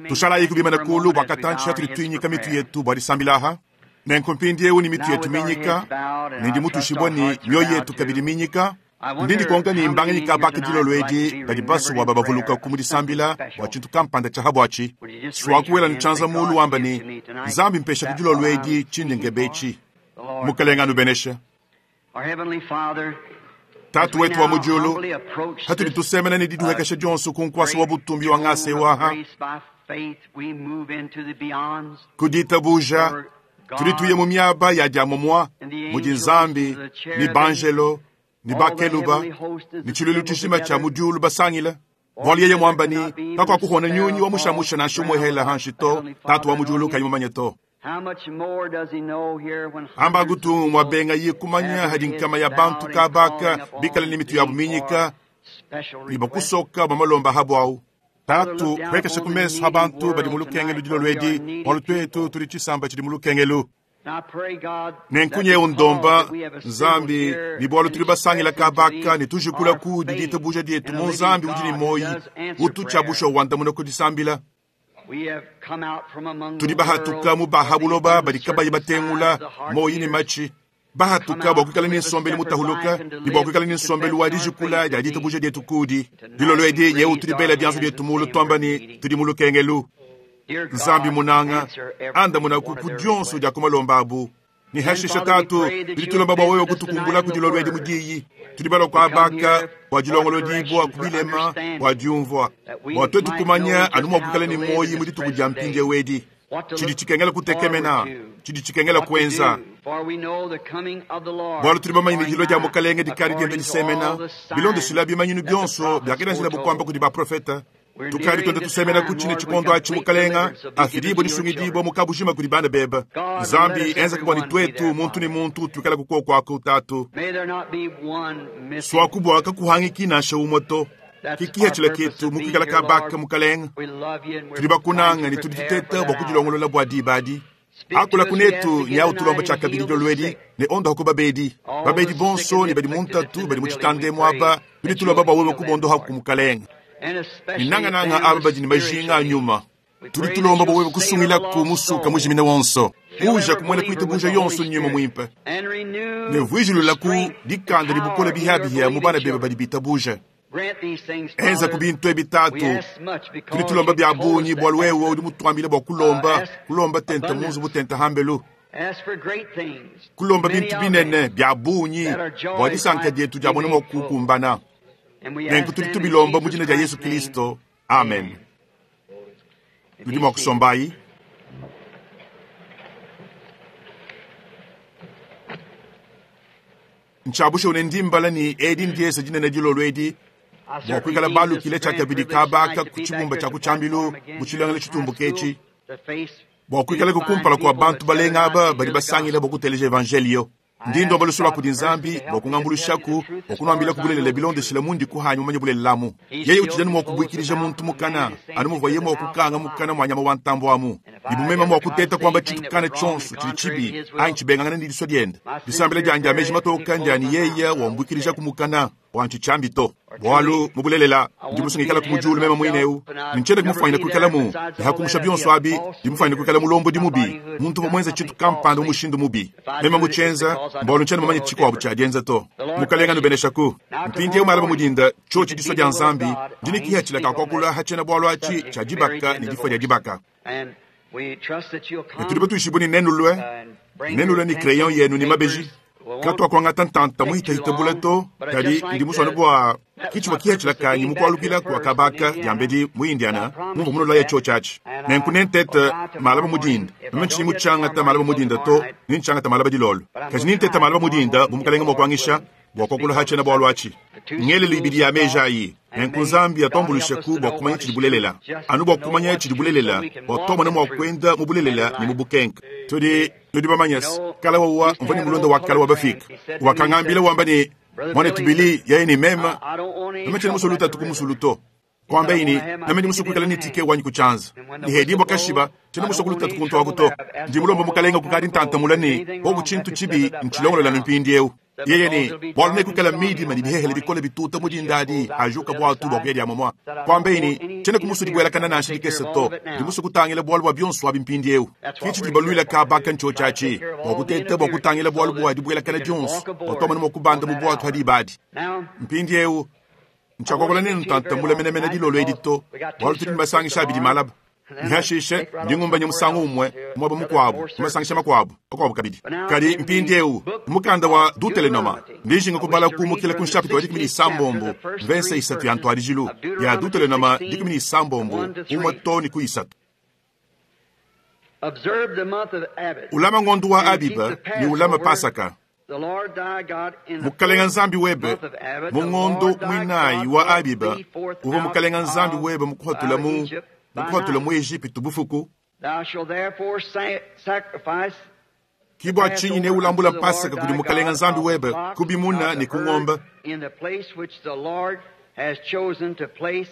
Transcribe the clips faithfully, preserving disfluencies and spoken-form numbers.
Tushalayiku bimane kuulu bua katantshi atudi tuinyika mitu yetu bua disambila aha. Nenku mpindieu ne mitu yetu minyika, ne ndi mutuishibue ne mioyo yetu kabidi minyika, ndi ndikonka ne mbanganyi kabaka dilolo edi badi basue bua babavulukaku mu disambila bua tshintu kampanda tshia habuatshi. Suaku wela ne tshianza muulu wamba ne, Nzambi mpeshaku dilolo edi tshindi nkeba etshi. Mukelenge anubeneshe. Tatu wetu wa mu diulu, hatudi tusemena ne didihuekesha dionso ku nkuasa wa butumbi wa ngasa ewu aha, ku ditabuja tudi tuya mu miaba ya diamomua mudi Nzambi ni banjelo ni bakeluba ni tshiluilu tshijima tshia mu diulu basangila. Bualu yeye muamba ni kakuakuhona nyunyi wa mushamusha nansha umue hela hanshi to, Tatu wa mu diulu kayi mumanye to. Amba gutu mwabenga ye kumanya hadi nkama ya bantu kabaka bikala ni mitu yabu minyika ni bakusoka bamalomba habu au. Tatu huekesha ku meso ha bantu badi mu lukengelu dilolo edi, bualu tuetu tudi tshisamba tshidi mu lukengelu. Nenkunye undomba Nzambi ni bualu tudi basangila kabaka ne tujikula ku ditabuja dietu mu Nzambi udi ne moyi utu tshiabusha wandamuna ku disambila. Tudi bahatuka mu bahabuloba badi kabayi batengula moyi ne matshi. Bahatuka bua kuikala ne nsombelu mutahuluka ne bua kuikala ne nsombelu wa dijikula dia ditabuja dietu kudi. Dilolo edi yewu tudi bela bianza bietu mulu tuamba ne tudi mu lukengelu. Nzambi munanga andamuna ku ku dionso dia kumalomba abu. Ni hashisha tatu tudi tulomba bua wewe kutukumbula ku dilolo edi mu diyi. Tudi balua kuabaka bua dilongolo dibua ku bilema bua diumvua. Bua tuetu kumanya anu mua kuikala ne moyi mu dituku dia mpindieu edi. Tshidi tshikengela kutekemena, tshidi tshikengela kuenza. Bualu tudi bamanye ne dilua dia Mukalenge dikadi dienda disemena, bilondeshila bimanyinu bionso biakenanjila bukuamba kudi baprofeta. Tukadi twenda tusemena ku tshine tshikondo atshi Mukalenga afidibue disungidibua mu kabujima kudi bana bebe. Nzambi enzeka bua ne tuetu muntu ne muntu tuikala kukuoko aku tatu. Suaku bua kakuhangiki nansha umue to. Kikiha tshila ketu mu kuikala kabaka Mukalenga. Tudi bakunanga ne tudi tuteta bua kudilongolola bua diba adi. Akula kunetu nyau tulomba tshia kabidi dilolo edi ne ondoha ku babedi. Babedi bonso ne badi mu ntatu badi mu tshitande muaba tudi tulomba bua wewe kubondoha ku Mukalenga. Ninangananga aba badi ne majinga a nyuma. Tudi tulomba bua wewe kusungila ku musuka mujimine wonso. Uja kumwena kuitabuja yonso nyuma muimpe. Ne vuijilula ku dikanda ne bukole bihabihia mu bana bebe badi bitabuja. Enza ku bintu ebi tatu. Tudi tulomba bia bungi bualu wewe udi mutuambile bua kulomba, kulomba tenta munzu butenta hambelu. Kulomba bintu binene bia bungi bua disanka dietu dia mona mua kukumbana. Nenku tudi tubilomba mu dina dia Yesu Kristo. Amen. Nudi mua kusombayi. Ntshiabusha une ndimbala ni edi ndiesa dinene dilolo edi bua kuikala balukile tshia kabidi kabaka ku tshibumba tshia ku tshiambilu mu tshilongelo tshitumbuka etshi bua kuikala kukumpala kua bantu balenga aba badi basangila bua kuteleja evangelio. Ndi ndomba lusu lua kudi Nzambi bua kungambuluishaku bua kunuambila kubulelela bilondeshila mundi kuhanyi mumanye bulelelamu. Yeye utshidi anu mua kubuikilija muntu mukana anu muvuaye mua kukanga mukana mua nyama wa ntambo amu. Ni bumema mua kuteta kuamba tshintu kana tshionso tshidi tshibi anyi tshibengangana ne disua diende. Disambila dianyi dia meji matoka ndiani yeye wambuikilija ku mukana wa ntshiambi to. Bualu mu bulelela ndi musungikala ku mudiulu meme muine eu. Ntshiena kumufanyina kuikala mu ne hakumusha bionso abi ndi mufanyina kuikala mulombo di mubi muntu uvua muenza tshintu kampanda mu mushindu mubi. Meme mutshienza mbualu ntshiena mumanye tshikuabu tshia dienza to. Mukalenga nubeneshaku. Mpindieu malaba mudinda tshiotshi disua dia Nzambi ndi ne kihatshila ka kuakula hatshiena bualu atshi tshia dibaka ne difua dia dibaka. Ne tudi batuishibue ne nenulue, nenulue ne crayon yenu ne mabeji. Katuakuangata ntanta muhitahita bula to, kadi ndi musuane bua kitshivua kihatshila kanyi mukualukila kua kabaka diambedi mu Indiana mumvua munulaya tshiotshi atshi. Nenku nentete malaba mudinda. Meme ntshinyi mutshiangata malaba mudinda to, nintshiangata malaba dilolo. Kadi nintete malaba mudinda bu mukalenga mua kuangisha bua kuakula hatshiena bualu atshi. Ngelelu ibidi ya meji ayi. Nenku Nzambi atuambulushaku bua kumanya tshidi bulelela. Anu bua kumanya tshidi bulelela, bua tuamona mua kuenda mu bulelela ne mu bukenke. Tudi tudi bamanye se, kala wawa mvua ne mulonda wa kala wa bafika. Wakangambila wamba ne, mwanetu Billy, yeye ne meme, meme tshiena musulu tatu ku musulu to. Kwambaye ne, Meme ndi musue kuikala ne tike wanyi ku tshianza. Ne hedibua kashiba, tshiena musue kulutatu kuntu aku to. Ndi mulombe mukalenga kukadi ntantamula ne, koku tshintu tshibi ntshilongolola ne mpindieu. Yeye ne, bualu nekuikala midima ne bihehele bikole bituta mu dinda adi ajuka buatu bua kuya dia momua. Kwambaye ne, tshiena kumusue dibuelakana nansha dikese to. Ndi musue kutangila bualu bua bionso abi mpindieu. Ke tshidi baluila kabaka ntshiotshi atshi, bua kuteta bua kutangila bualu bua dibuelakana dionso, bua tuamone mua kubanda mu buatu hadi ibadi. Mpindieu, ntshiakuakula nenu ntantamula menemene dilolo edi to, bualu tudi ne masangisha abidi malaba. Nihashishe ndi ngumbanya musangu umue muaba mukuabu mu masangisha makuabu makuabu kabidi. Kadi mpindieu mukanda wa Deuteronoma ndi njinga kubala kumukila ku nshapita wa dikumi ne isambombo mvese isatu ya ntuadijilu ya Deuteronoma dikumi ne isambombo umue too ne ku isatu. Observe the month of Abib. Ulama ngondo wa and keep Abiba the ne ulama Passover. Pasaka. The Lord thy God in the Mukalenga fourth Nzambi webe month of Abib, mu the ngondo Lord thy mwinayi God wa brought Abiba thee forth uvua out mukalenga Nzambi of- webe mukuhatula out of mu Egypt by mukuhatula night. mu Ejipitu bufuku. Thou shalt therefore sa- sacrifice Kibwa tshinyi ne ulambula Pasaka kudi mukalenga Nzambi webe kubimuna ne ku ngombe in the place which the Lord has chosen to place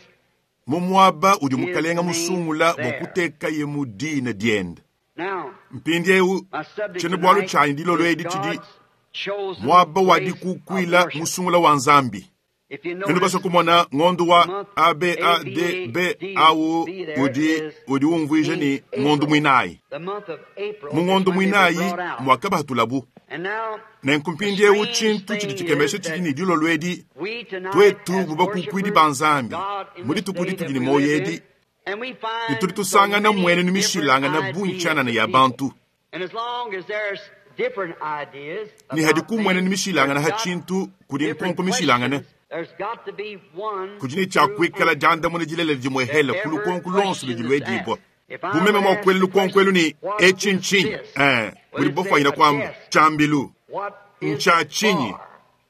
mu muaba udi His mukalenga name musungula bua there. kutekaye mu dina diende. Now, Mpindieu my subject tshiena bualu tonight tshianyi dilolo is edi tshidi God's chosen muaba wa place of dikukuila worship. musungula wa Nzambi. If you Nenu notice, basua kumona ngondo wa A B A D B au udi udi umvuija ne ngondo mwinayi. the month of April Mu is ngondo when they were mwinayi brought out. mwakabahatulabu. And now, Nenku mpindieu tshintu tshidi tshikemesha tshidi ne dilolo edi we tonight twetu as bubakukuidi worshipers ba Nzambi God in mu this dituku day ditudi that ne we moyo live edi in, and we find ne tudi so tusangana many mmuenenu different mishilangana bungi ideas tshianana of ya people. bantu. And as long as there's different ideas Ne hadi about ku mmuenenu things, mishilangana there's ha got tshintu kudi different nkonko mishilangana. questions, there's got to be one kudi ne tshia true kuikala answer diandamuna dilelela dimuehela to ku every lukonko lonso question ludi that's luedibua. asked. If I Bumeme would mua ask kuela the lukonko elu ne question, what etshi is ntshinyi? this? Eh, Well, budi it's a bofwanyina kwamba test. tshambilu What is ntsha it tshinyi? for?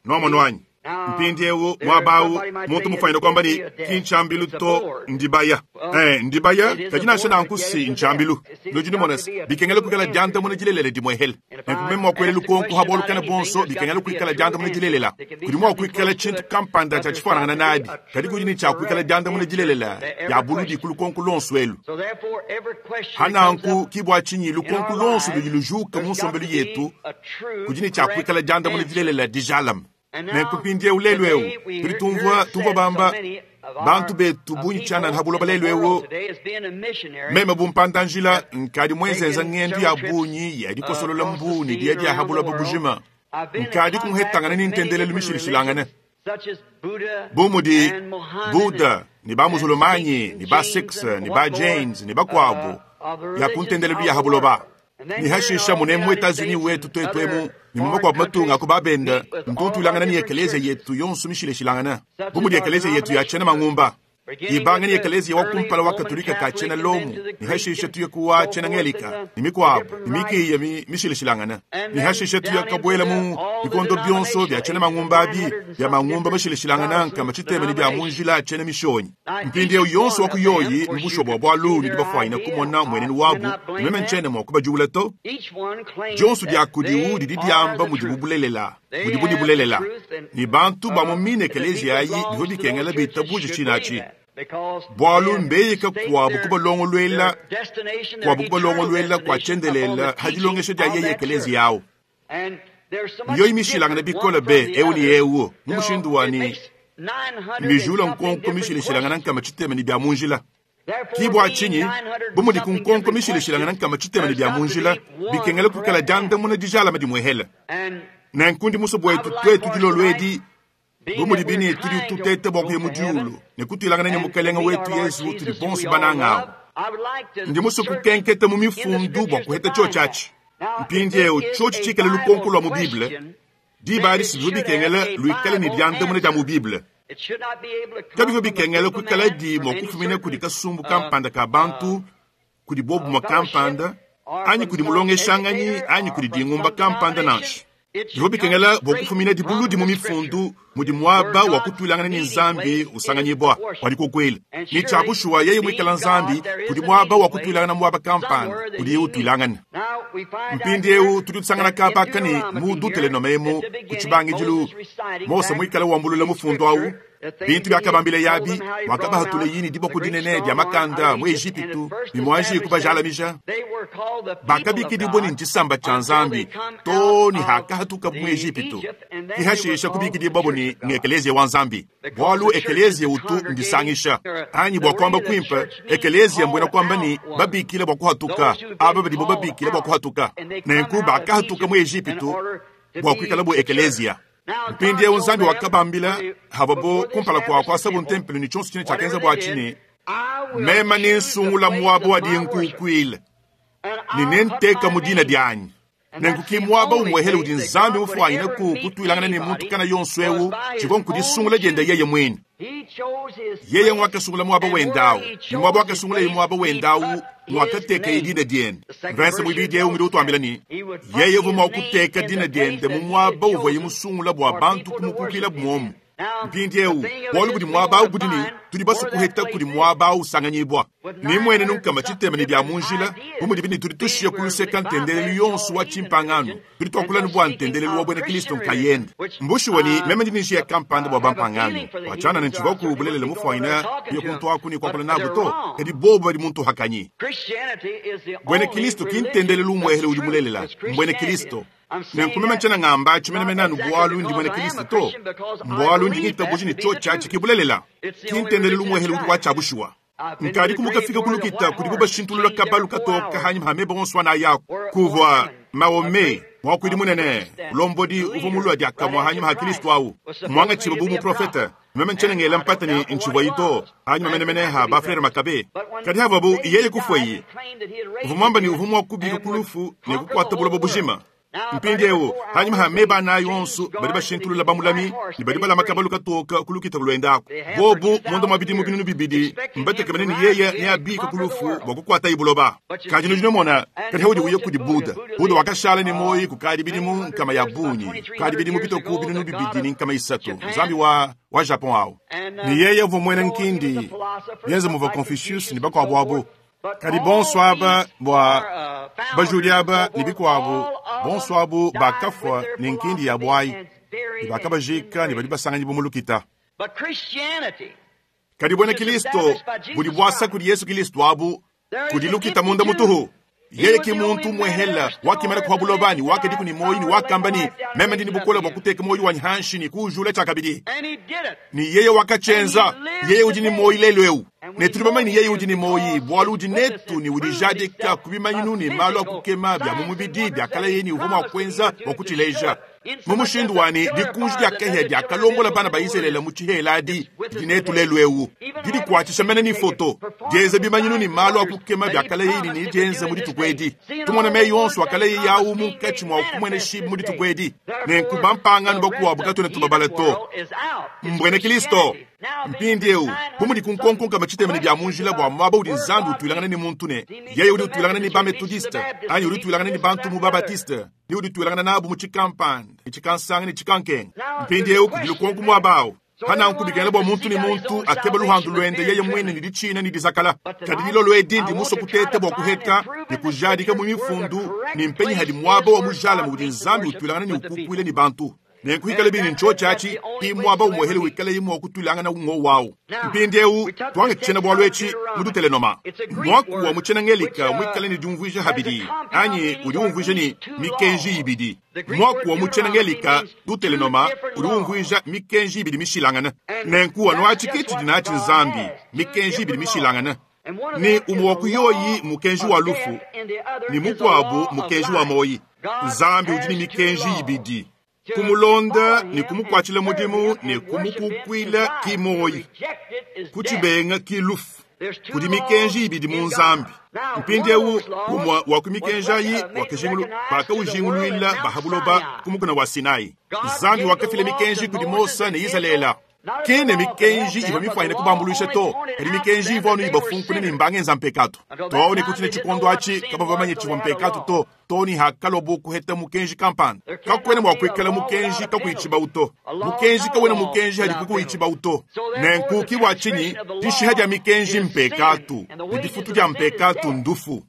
Nomano wanyi Now, mpindieu there, muaba awu somebody might muntu say mufwanyina it kwamba can't ni be a desk, kintshambilu it's a to board. ndibaya. Well, Eh, ndibaya it is a kadi nansha board, but nanku yet si it's a ntshambilu. desk. You see, Nudi there's got numona to be a bikengela true kuikala answer diandamuna to it. dilelela dimuehela. And if Nenku I meme mua kuela ask the lukonko question ha about bualu kana anything, bonso there's got bikengela to be a kuikala true diandamuna answer. dilelela. There can be Kudi mua something kuikala close to tshintu it, kampanda but tshia there's got tshifuanangana to be nadi. a Kadi kudi true, ne tshia kuikala correct diandamuna answer dilelela to ya every buludi ku question. lukonko lonso elu. So therefore, every question that comes Hananku up kibwa tshinyi in lukonko our lonso ludi lives, lujuka mu there's got nsombelu to be yetu a true, kudi ne tshia correct kuikala diandamuna answer. dilelela dijalame. And Nenku now, mpindieu lelu eu today, we tudi hear, hear tumvua it tumvua said so bamba many of our bantu betu uh, bungi tshianana people ha buloba in the lelu world eu today as being a missionary meme bumpandanjila nkadi mwenzenza taking ng'endu several ya trips bungi ya uh, dikosolola across the mbu ne sea diya and dia ha around the buloba world. bujima I've been in nkadi contact kumuhetangana with ne many ntendelelu different mishilishilangane religions, such as Buddha bu mudi and Mohammed and, Buddha ne ba and Muzulumanyi Sikhs and ne ba Jains Sikhs and ne ba what more Jains ne bakuabu uh, of the ya ku religions ntendelelu of ya the ha buloba. world. And then Ne here in our hashisha own mune mu United Etats-Unis States wetu and twetu emu other ne mu foreign makuabu matunga countries, ku babenda meet with all our ntuntulangana ne different ekeleziya churches, yetu yonso mishilishilangana such bu as mudi our ekeleziya yetu ya tshiena denominations, mangumba beginning ibanga with ni the ekeleziya wa early kumpala wa Roman Katolika ka tshiena Catholic and then Lomu to the ne Greek hashisha and tuye kuwa so tshiena forth and Ngelika the, ne the mikuabu different ne rites, mikiya mi- mishilishilangana and ne then hashisha tuye down into kabuela the mu all the bikondo bionso bya denominational tshiena ages, the mangumba nine abi hundred and bya something mangumba different mashilishilangana nkama Protestant tshitema ne bya denominations. munjila tshiena mishonyi Now, each mpindieu yonso one wa ku of them, yoyi of course, you mubusho bua could see bualu ne their dibafwanyina idea. kumona I mmuenenu wabu cannot blame meme them. ntshiena mua kubajula to Each one claims dionso dia that kudiwu they didi are diamba the mudibu truth. bulelela They mudibu have the bulelela truth, and ne bantu ba mu uh, mine the ekeleziya people ayi belongs bivua to those bikengela churches bitabuje should tshina believe atshi that because they bualu have mbeyika staked kuabu their kubalongoluela their destination, their kuabu eternal kubalongoluela kua destination, upon the tshiendelela ha teaching dilongesha dia of yeye that church. ekeleziya awu And there's so much yoyi mishilangana different bikole one be from the eu ne other eu mu till mushindu wa it ne makes nine hundred and mijula something nkonko different mishilishilangana questions. nkama tshitema ne bya munjila Therefore, kibwa being tshinyi nine hundred bu and mudi ku something nkonko different mishilishilangana questions, nkama tshitema ne there's bya got to munjila be one bikengela kuikala correct answer. diandamuna dijalama dimuehela And nenku ndi muso I bwetu would like twetu for us dilolo tonight, edi being bu mudi that we're bine tudi trying to tutete bua go kuya mu to heaven diulu ne kutuilangana ne and to mukalenga meet our wetu Lord Yesu tudi Jesus, who bonso we all bananga awu love, I would like to ndi muso search kukenketa mu in the mifundu bua scriptures to kuheta find tshiotshi that. atshi Now, if it mpindieu is tshiotshi a tshikale lukonko Bible lua mu Bible question, diba then adi it sivyo should have bikengela a luikale ne Bible diandamuna dia mu answer. Bible It should not be able to come kabivua from a bikengela group of kuikala man, di from mua any kufumina kudi certain kasumbu uh, kampanda ka uh, bantu kudi bobumwa fellowship kampanda or anyi from kudi some mulongeshanganyi educator anyi or kudi from dingumba some kampanda denomination. nansha It bivua should come bikengela bua straight kufumina dibuludi from mu the scripture, mifundu mudi where muaba wa God's kutuilangana ne meeting Nzambi place is usanganyibwa worship. wadikukwela And ni surely, tshiakushuwa yeye being muikala God, Nzambi there is kudi a muaba meeting wa place kutuilangana muaba kampanda somewhere that kudi he yeye meets. utuilangana Now we find out mpindieu here tudi tusangana that in kabaka ne mu Deuteronomy here, Deuteronome at emu the ku beginning, tshibangidilu Moses reciting Mose back muikala wambulula the mufundu awu scripture Bintu byakabambile yabi mwakabahatule yini diboko dinene dya makanda mu Ejipitu ne mwanji kubajalamija. Bakabikidibwa ni ntshisamba tshia Nzambi to ni hakahatuka mu Ejipitu. Kihashisha kubikidibwa bo ni ng'ekelezia wa Nzambi. Bwalu ekelezia utu ndisangisha. Anyi bwa kwamba kwimpa ekelezia mbwena kwamba ni babikile bwa kuhatuka. Aba badibo babikile bwa kuhatuka. Nenku bakahatuka mu Ejipitu bwa kwikala bu ekelezia. Mpindi eu Nzambi wakabambila hababo kumpala kwa kwasabu ntempelo ni chonso chine chakenza bwa chine mema ni nsungula mwabo wa dinkukwile ni nenteka mudina dyanyi nenkuki mwaba umwehele udi Nzambi mufwanyine ku kutwilangana ni muntu kana yonso eu chiko nkudisungula dyenda yeye mwine. Yeye mwakasungula mwaba wendawu ni mwaba wakasungula ye mwaba wendawu mwakateka idina dyende. Verse mwibidi eu ngidi utwambila ni yeye vuma kuteka dina dyende mu mwaba uvwa yimusungula bwa bantu kumukukila bumwomu. Mpindi eu bwalu budi mwaba awu budi ni tudi basukuheta kudi mwaba awu usanganyibwa. Ni mwene nunkama tshitema ni bya munjila bumudi bini tudi tushiya kuluseka ntendelelu yonso wa tshimpangano tudi twakulani bwa ntendelelu wa bwena Kristo nkayende. Mbushiwa ni meme ndi nishiya kampanda bwa bampangano wachana ni ntshivaku bulelele mufwanyina kuya kuntu aku ni kwakula nabu to kadi bobo badi muntu hakanyi. Bwena Kristo kintendelelu mwehele udi mulelela mbwena Kristo. Nenkumema tshena ngamba tshimenemene bwalu ndi mwene Kristo to mbwalu ndi ngitabuji ni cho chachi kibulelela kintendelelu mwehele udi wachabushiwa. Nkadi kumukafika kulukita kudi bashintulula kabalu katoka hanyi hame bonswa na yako kuvwa Maome mwakwidi munene ulombodi uvo mulwa dyakamwa hanyi ha Kristo awu mwanga chiba bu muprofeta meme nchene ngela mpata ni nchibwa ito hanyi menemene ha ba frere Makabe kadi hava bu yeye kufweyi uvumwamba ni uvumwa kubika kulufu ne kukwata bulobo bujima. Mpindi eu hanyuma ha meba na yonso badi bashintulula bamulami ni badi balama kabalu katoka kulukita kulwendako bobu mondo mabidi mubinunu bibidi mbatekemene ni yeye ne abika kulufu bwa kukwata ibuloba. Kadi nujino mona kadi haudi uye kudi Buda. Buda wakashala ni moyi kukadi bidimu nkama ya bunyi kadi bidimu bitoku binunu bibidi ni nkama isatu Nzambi wa wa Japon awo ni yeye vumwene nkindi yenze muva Confucius ni bakwabo kadi bonsoir bwa bajuliaba ni bikwabo bonsoir bu bakafwa ni nkindi ya bwai ni bakabajika ni badi basanganyi bumulukita. Kadi bwena Kristo budi bwasa kudi Yesu Kristo abu kudi lukita munda mutuhu. Yeye ki muntu mwehela wakimala kwa bulobani wakadi kuni moyi ni wakambani meme ndi bukola bwa kuteka moyi wa nhanshi ni kujula chakabidi. Ni yeye wakachenza yeye udi ni moyi lelo eu. Ne tuli ni yeye udi ni moyi bwalu udi netu ni udijadika kubimanyinu ni malu akukema bya mumubidi bya kala yeni uvuma kwenza wa kutileja. Mumushindu wani dikunji dya kehe dya kalongola bana ba Israeli mu tshiheladi di netu lelo eu. Didi kwatshisha mene ni foto dieze bimanyinu ni malu akukema bya kala yeni ni dienze mu ditukwedi. Tumona me yonso akala yeyi awu munkatshi mwa kumwene shibu mu ditukwedi. Nenku bampangano bakuwabu katwene tubabala to. Mbwene Kristo mpindi eu bumudi kunkonkonka machitemene bya munjila bwa mwaba udi Nzambi utwilangana ni muntu ne yeye udi utwilangana ni ba Methodiste anyi udi utwilangana ni bantu mu ba Baptiste ni udi utwilangana nabu mu chikampanda ni chikansanga ni chikankenga. Mpindi eu kudi lukonko mwabawo hana nkubikana bwa muntu ni muntu akeba luhandu lwende yeye mwene ni dichina ni dizakala. Kadi lilo lwedi ndi muso kutete bwa kuheka ni kujadika mu mifundu ni mpenyi hadi mwaba wa mujala mu udi Nzambi utwilangana ni ukukwile ni bantu. Nenkuhikale bini ncho chachi imwaba umwehele wikale imwa kutulanga ungo wawo. Mpindi eu twange tshena bwa lwechi mudutelenoma. Mwaku wa muchena ngelika mwikale ni diumvuija habidi. Anyi udi umvuija ni mikenji ibidi. Mwaku wa muchena ngelika dutelenoma udi umvuija mikenji ibidi mishilangana. Nenku wa nwachi kiti dinachi Nzambi mikenji ibidi mishilangana. Ni umwaku yoyi mukenji wa lufu ni mukwabu mukenji wa moyi. Nzambi udi ni mikenji ibidi. Kumulonda ni kumukwachila mudimu ni kumukukwila kimoyi kuchibenga kilufu. Kudi mikenji ibidi mu Nzambi. Mpindi eu umwa wa kumikenja yi wakajingulu baka ujinguluila bahabuloba kumukuna wa Sinai. Nzambi wakafile mikenji kudi Mosa ne Israela. Kene mikenji iva mifwanyine kubambuluisha to kadi mikenji ivwanu ibafunkune ni mbange nza mpekatu to ni kutine chikondo achi kaba vamanye chivwa mpekatu to to ni hakalobo kuheta mukenji kampanda kakwene mwa kwikala mukenji kakuichiba uto mukenji kawene mukenji hadi kukuichiba uto nenku kibwa chinyi dishiha dya mikenji mpekatu ni difutu dya mpekatu ndufu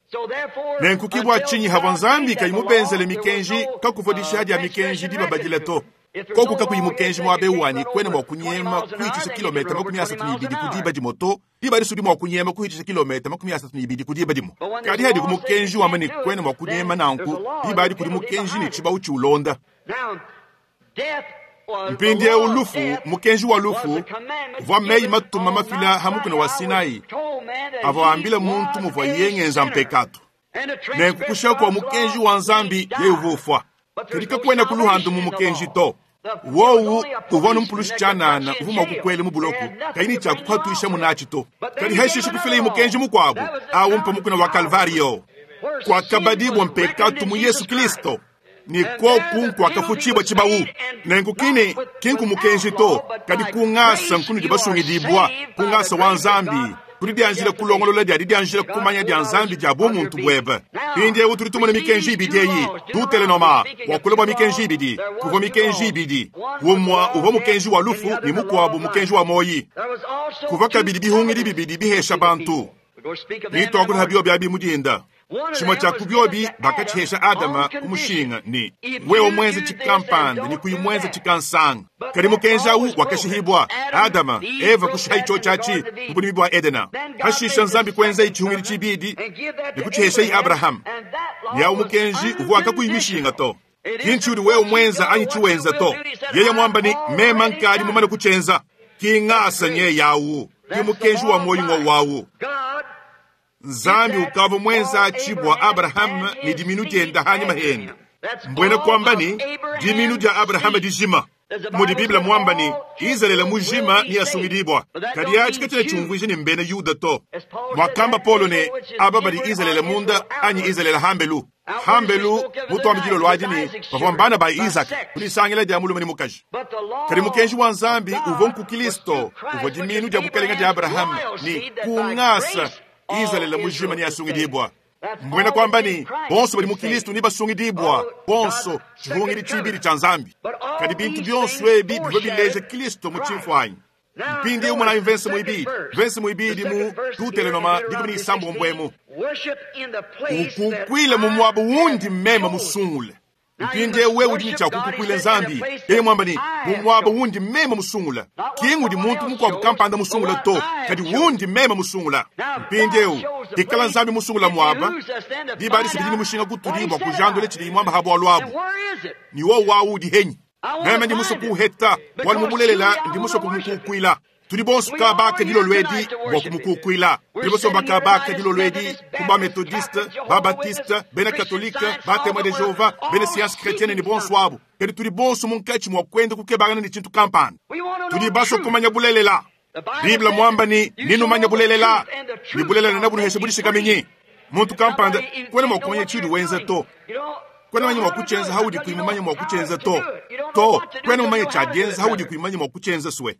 nenku kibwa chinyi hava Nzambi kayimubenzele mikenji kakuvwa dishiha dya mikenji dibabadile to. Koku kakuyi mukenji muaba ewu wanyi kuena mua kunyema kuhitshisha kilometa makumi asatu ne ibidi ku diba dimue to. Diba adisu udi mua kunyema kuhitshisha kilometa makumi asatu ne ibidi ku diba dimue. Kadi hadi ku mukenji wamba ne kuena mua kunyema nanku, diba adi kudi mukenji ne tshibawu tshiulonda. Mpindieu lufu, mukenji wa lufu uvua meyi matuma mafila ha mukuna wa Sinai avua ambila muntu muvua yengenza mpekatu. Nenku kusha kwa mukenji wa Nzambi yeye uvua ufwa. Kadi kakuena kuluhandu mu mukenji to. Wowu uvua numpulushi tshianana uvua mua kukwela mu buloko kayi ne tshiakupatuisha munatshi to. Kadi hashishe kufila mukenji mukuabu awu mpa mukuna wa Kalvario kwakabadibwa mpekatu mu Yesu Kristo. Ni koku nkwakafuchibwa tshibawu. Nenku kine kinku mukenji to, kadi kungasa nkunu dibasungidibwa kungasa wa Nzambi kudi dianjila kulongolola dia dianjila kumanya dia Nzambi dia bumuntu bwebe. Mpindieu tudi tumona mikenji ibidi eyi tutelenoma wakula bua mikenji ibidi kuvua mikenji ibidi umua uvua mukenji wa lufu ne mukuabu mukenji wa moyi. Kuvua kabidi bihungidi bibidi bihesha bantu nitwakula biobi abi mudinda. Tshimue tshia ku biobi bakatshihesha Adama ku mushinga ni wewe mwenze tshikampanda ni kuyi mwenze tshikansanga. Kadi mukenji awu wakashihibwa Adama Eva kushiha icho tshiatshi mu bulimi bua Edena. Hashisha Nzambi kuenza itshihungidi tshibidi ne kutshihesha Abrahamu. Ni awu mukenji uvua kakuyi mishinga to. Kinchi udi wewe mwenza anyi tshiwenza to. Yeye mwamba ni mema nkadi mumane kutshenza. Kingasa nye yawu ki mukenji wa moyi ngo wawu. Nzambi ukava mwenza tshibwa Abraham ni diminu dienda hanyuma henda. Mbwena kwamba ni diminu dia Abraham dijima. Mudi Biblia mwamba ni Israeli mujima ni asungidibwa. Kadi achi katena chumvuije ni mbene Yuda to. Mwakamba Paulo ne aba badi Israeli munda anyi Israeli hambelu. Hambelu mutwambidilo lwaji ni bavua mbana ba Isaac kulisangila dia mulume ni mukaji. Kadi mukenji wa Nzambi uvua nku Kristo uvua diminu dia bukalenga dia Abraham ni kungasa Israeli mujima ni asungidibwa. Mbwena kwamba ni bonso bali mu Kristo ni basungidibwa bonso tshihungidi tshibidi tsha Nzambi. Kadi bintu byonso ebi bivua bileja Kristo mu tshimfuanyi. Mpindi umwe na mvense muibidi mvense muibidi mu tutelenoma dikumi ni isambu mbwemu ukukwile mu mwabo wundi mmema musungule. Mpindi ewe udi ni tshiakukukwile Nzambi yeye mwamba ni mu mwabo wundi mema musungula. Kingu di muntu mukuabu kampanda musungula to, kadi wundi mema musungula. Mpindi eu dikala Nzambi musungula mwaba diba adi sibidi ni mushinga kutudi bua kujandula tshidi mwamba ha bwalu abu. Ni wo wawu udi henyi. Meme ndi muso kuheta wali mubulelela ndi muso kumukukwila. Tudi bonso kabaka dilo lwedi bua kumukukwila. Tudi bonso bakabaka dilo lwedi kuba methodiste, ba baptiste, bena katolike, ba témoin de Jéhovah, bena science chrétienne ni bonso abo. Kadi tudi bonso munkatshi mua kwenda kukebangana ni tshintu kampanda. Tudi baso kumanya bulelela. Biblia mwamba ni ninu manya bulelela. Ni bulelela na bunuhesha budishikamenyi. Muntu kampanda kwena mua kumanya tshidi wenza to. Kwena manya mua kutshenza haudi kuimanya mua kutshenza to. To, kwena manya tshiadienza haudi kuimanya mua kutshenza swe.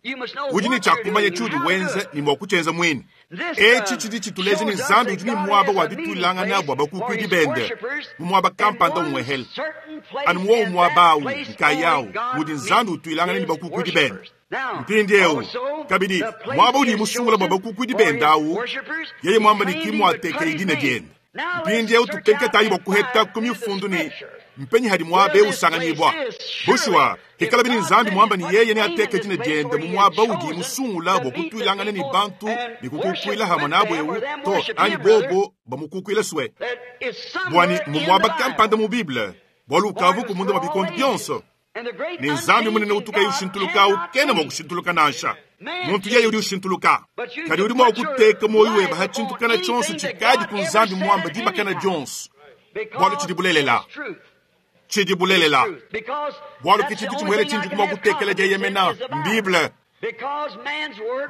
Udi ni tshiakumanya tshiudi wenza ni mua kutshenza mwini. Etshi tshidi tshituleja ni Nzambi udi ni muaba wa ditulangana bua bakukuidi bende. Mu muaba kampanda umwehele. Anu muowu muaba awu, nkayawu, mudi Nzambi utuilangana ni bakukuidi bende. Mpindieu kabidi muaba udi musungula bua bakukuidi bende awu, yeye mwamba ni kimwateke idina diende. Mpindieu tukenketayi bua kuheta ku mifundu ni mpenyi hadi muaba eu usanganyibwa. Bushuwa hikala bini Nzambi mwamba ni yeye ne ateke dina diende mu muaba udi musungula bua kutuilangana ni bantu ni kukukuila hamwe nabo eu to anyi bobo bamukukuila swe. Bwani mu muaba kampanda mu Bible bwalu ukavu kumunda mwa bikondo byonso. Ni Nzambi munene utuka ushintuluka ukena mwa kushintuluka nansha. Muntu yeye udi ushintuluka. Kadi udi mwa kuteka moyo weba ha tshintukana tshonso tshikadi ku Nzambi mwamba dibakana dionso. Bwalu tshidi bulelela. Tshidi bulelela. Bwalu ke tshintu tshimuele tshindi kumwa kutekela dieyemena Bible.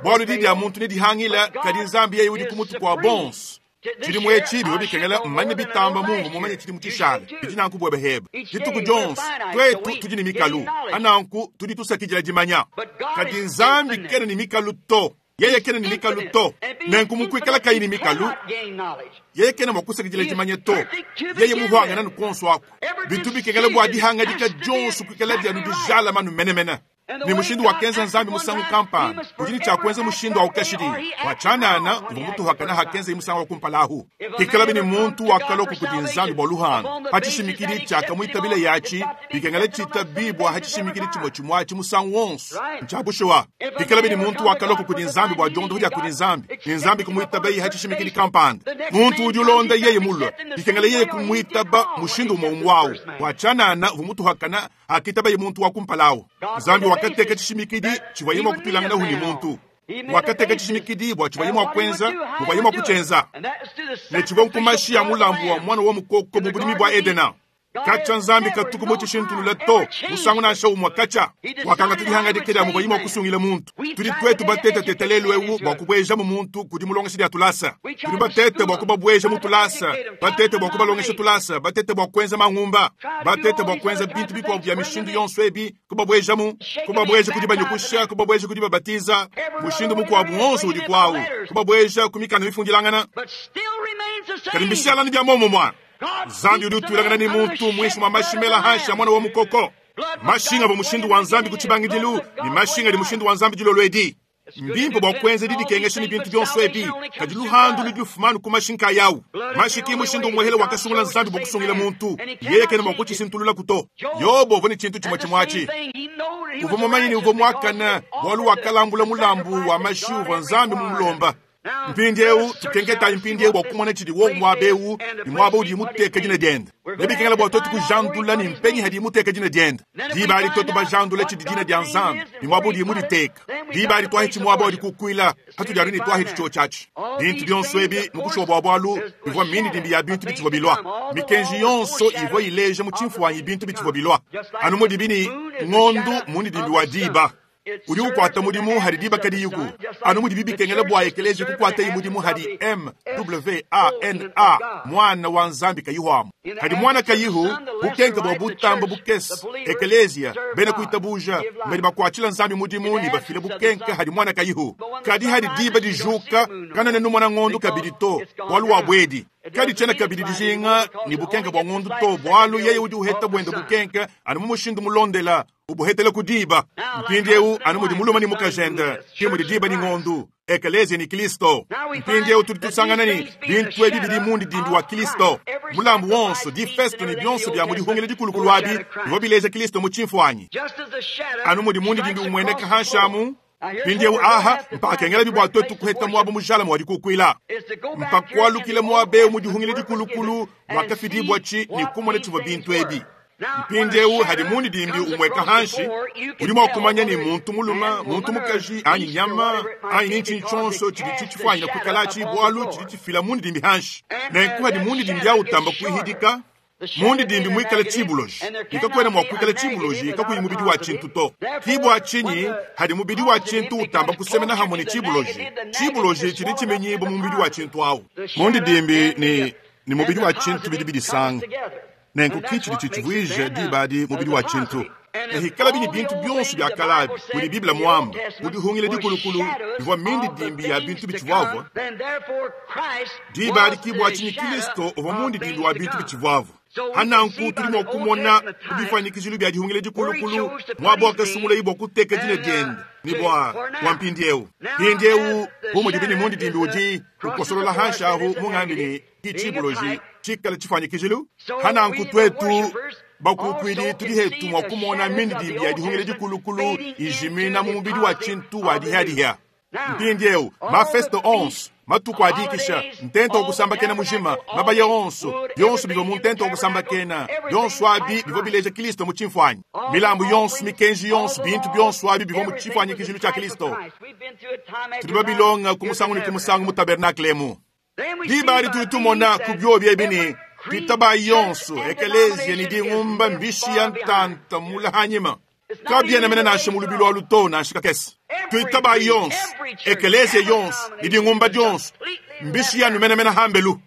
Bwalu di dia muntu ne dihangila kadi Nzambi yeye udi kumutu kwa bonso. Tshidi muye tshibi bikengela mmanye bitamba mungu mumanye tshidi mutshishale. Bidi nanku bwebe heba. Dituku dionso twetu tudi ni mikalu. Ananku tudi tusakidila dimanya. Kadi Nzambi kena ni mikalu to. Yeye kena ni mikalu to. Nenku mukwikala kayi ni mikalu. Yeye kena mwakusakidila dimanya to. Yeye muhwangana nukonso ako. Bitu bikengela bua dihanga dika dionso kwikala dia nudijala manu menemene. Ne mushindu wakenza Nzambi musangu kampanda udi ne tshia kuenza mushindu awu kashidi. Bua tshianana uvua mutuhakana hakenza musangu wa kumpala ahu. Pikalabi ne muntu wakalua kudi Nzambi bua luhandu hatshishimikidi tshiakamuitabile yatshi bikengela tshitabibua hatshishimikidi tshimue tshimue atshi musangu wonso ntshia bushuwa. Pikalabi ne muntu wakalua kudi Nzambi bua diondopo dia kudi Nzambi ne Nzambi kumuitabaye hatshishimikidi kampanda, muntu udi ulonda yeye mulue bikengela yeye kumuitaba mushindu umue umue awu. Bua tshianana uvua mutuhakana akitabaye muntu wa kumpala awu. Nzambi wakateka tshishimikidi tshivuaye mua kutuilangana ne muntu. Wakateka tshishimikidi bua tshivuaye mua kuenza, muvuaye mua kutshienza, ne tshivua nkumashi ya mulambu wa mwana wa mukoko mu budimi bua Edena. Katshia Nzambi katuku mu tshishintulula to musangu nansha umue katshia. Wakangata dihangadika dia muvuaye mua kusungila muntu. Tudi tuetu batetateta lelu ewu bua kubuejamu muntu kudi mulongeshi dia tulasa. Tudi batete bua kubabueja mu tulasa, batete bua kubalongesha tulasa, batete bua kuenza mangumba, batete bua kuenza bintu bikuabu bia mishindu yonso ebi, kubabuejamu, kubabueja kudi banyukusha, kubabueja kudi babatiza, mushindu mukuabu wonso udi kwawu, kubabueja ku mikanda mifundilangana. Kadi mbishalani bia momumua. Nzambi udi utuilangana ne muntu muinshi mwa mashimela hanshi ya mwana wa mukoko. Mashinga bua mushindu wa Nzambi ku tshibangidilu ne mashinga di mushindu wa Nzambi dilolo edi. Mbimpe bua kuenza didikengesha ne bintu bionso ebi, kadi luhandu ludi lufumanu ku mashinka yawu. Mashiki mushindu umuhele wakasungula Nzambi bua kusungila muntu, yeye kena mua kutshishintulula kuto. Yobo uvua ne tshintu tshimue tshimue atshi. Uvua mumanye ne uvua muakane bualu wakalambula mulambu wa mashi uvua Nzambi mumulomba. Mpindiewu tukenketayi mpindiewu bua kumona tshidi wo muaba ewu ne muaba udi muteka dina diende. Nebikengela bua tuetu kujandula ne mpenyi hadi muteka dina diende. Diba adi tuetu bajandula tshidi dina dia Nzambi ne muaba udi muditeka. Diba adi twahitshi muaba udi kukuila hatudi anu ne twahitshi tshio tshiatshi. Bintu bionso ebi mu kushuwa bua bualu bivua mindidimbi ya bintu bitshivua bilua. Mikenji yonso ivua ileja mu tshimfuanyi bintu bitshivua bilua. Anu mudibi ne ngondu mundidimbi wa diba. Udi ukwata mudimu hadi diba kadiyiku. Anu mudibi bikengela bua ekeleje kukwata mudimu hadi M W A N A mwana wa Nzambi kayihu. Hadi mwana kayihu bukenke bua butamba bukese ekelezia bena kuitabuja mbedi bakwatshila Nzambi mudimu ne bafile bukenke hadi mwana kayihu. Kadi hadi diba dijuka kanene numona ngondu kabidi to bualu wa bwedi. Kadi tshiena kabidi dijinga ne bukenke bua ngondu to bualu yeye udi uheta buende bukenke anu mu mushindu mulondela ubuhetele ku diba. Mpindiewu anu mudi muluma ni mukajende ki mudi diba ni ngondu ekelezia ni Kristo. Mpindiewu tudi tusangana ni bintu ebi bidi mundidimbi wa Kristo. Mulambu wonso difesto ni bionso bia mudihungile dikulukulu abi bivua bileja Kristo mu tshimfuanyi. Anu mudi mundidimbi umueneka hanshamu. Mpindiewu aha mpakengela bibua tuetu kuheta muaba mujala mu wadikukuila. Mpakualukile muaba ewu mudihungile dikulukulu wakafidibua tshi ni kumona tshivua bintu ebi. Mpindiewu hadi mundidimbi umweka hanshi udi mua kumanya ni muntu muluma muntu mukaji anyi nyama anyi ni ntshinyi tshionso tshidi tshitshifuanyina kuikalatshi bualu tshidi tshifila mundidimbi hanshi. Nenku hadi mundidimbi awutamba kuihidika mundidimbi muikale tshibuloji ikakwena mua kuikala tshibuloji kakuyi mubidi wa tshintu to. Kibua tshinyi hadi mubidi wa tshintu utamba kusemena hamwe ne tshibuloji. Tshibuloji tshidi tshimenyibwa mu mubidi wa tshintu awu. Mundidimbi ni ni mubidi wa tshintu bidi bidisanga. Nenku kitshidi tshitshivuija diba adi mubidi wa tshintu. Nehikala bini bintu bionso bia kalabi mudi Biblia muamba mudihungile dikulukulu bivua mindidimbi ya bintu bitshivuavua. Diba adi kibua tshinyi Kristo uvua mundidimbi wa bintu bitshivuavua. Hananku tudi mua kumona kubifanyikijilu bia dihungile dikulukulu muaba wakasungula bua kuteka dina diende ni bua bua mpindiewu. Mpindiewu bu mudi bini mundidimbi udi ukosolola hanshi ahu mungambi ni kitshibuloji tshikala tshifanyikijilu. Hananku tuetu bakukwidi tudi hetu mua kumona mindidimbi ya dihungile dikulukulu ijimina mu mubidi wa tshintu wa dihadiha. Mpindiewu mafesto onso matuku adikisha ntento okusambakena mujima mabaya onso byonso bivua mu ntento okusambakena byonso abi bivua bileja Kristo mu tshimfuanyi. Milambu yonso mikenji yonso bintu byonso abi bivua mu tshifuanyikijilu tshia Kristo. Tudi babilonga ku musangu ne ku musangu mu tabernakle emu. Diba adi tudi tumona ku biobi ebi ne twitaba yonso ekelezia ni dingumba mbishi ya ntanta mula hanyima. Kabiena mene nansha mu lubilu alu to nansha kakese. Twitaba yonso ekelezia yonso ni dingumba dyonso mbishi yanu mene mene hambelu.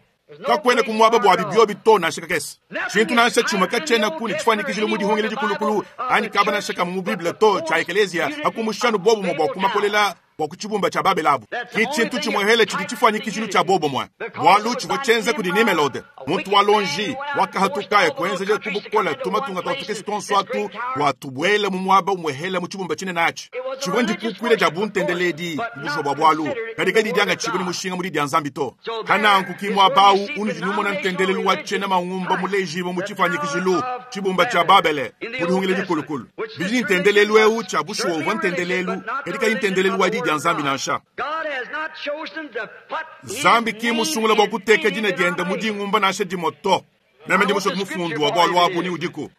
Kakwena kumwaba bua bibiobi to nansha kakese. Tshintu nansha tshimue katshiena kuni tshifuanyikijile mu dihungile dikulukulu anyi kaba nansha kamwe mu Biblia to tshia ekelezia hakumushanu bobumue bua kumakolela bua kutshibumba tshia Babelabu. Ki tshintu tshimuehele tshidi tshifuanyikijilu tshia bobumue bualu tshivua tshienza kudi Nimelode Muntu wa lonji wakahatuka kuenzeja kubukola tumatunga twa tukese tonso atu watubwela mu mwaba umwehela mu chibumba chinene achi. Chibwe ndikukwile ja buntendeledi busho bwa bwalu. Kadi kadi dyanga chibwe ni mushinga muri dya nzambi to. Kana nkukimwa bawu unu jinumona ntendelelu wa chena mangumba mulejibo mu chifanyikijilu chibumba cha Babele mulihungile dikulukulu. Bidi ntendelelu eu cha busho wa ntendelelu kadi kadi ntendelelu wa dya nzambi nansha. Zambi kimusungula bwa kuteka dina dyenda mudingumba nansha dimoto. Meme ndi musho kumufundu wa bwalu abu ni udiku.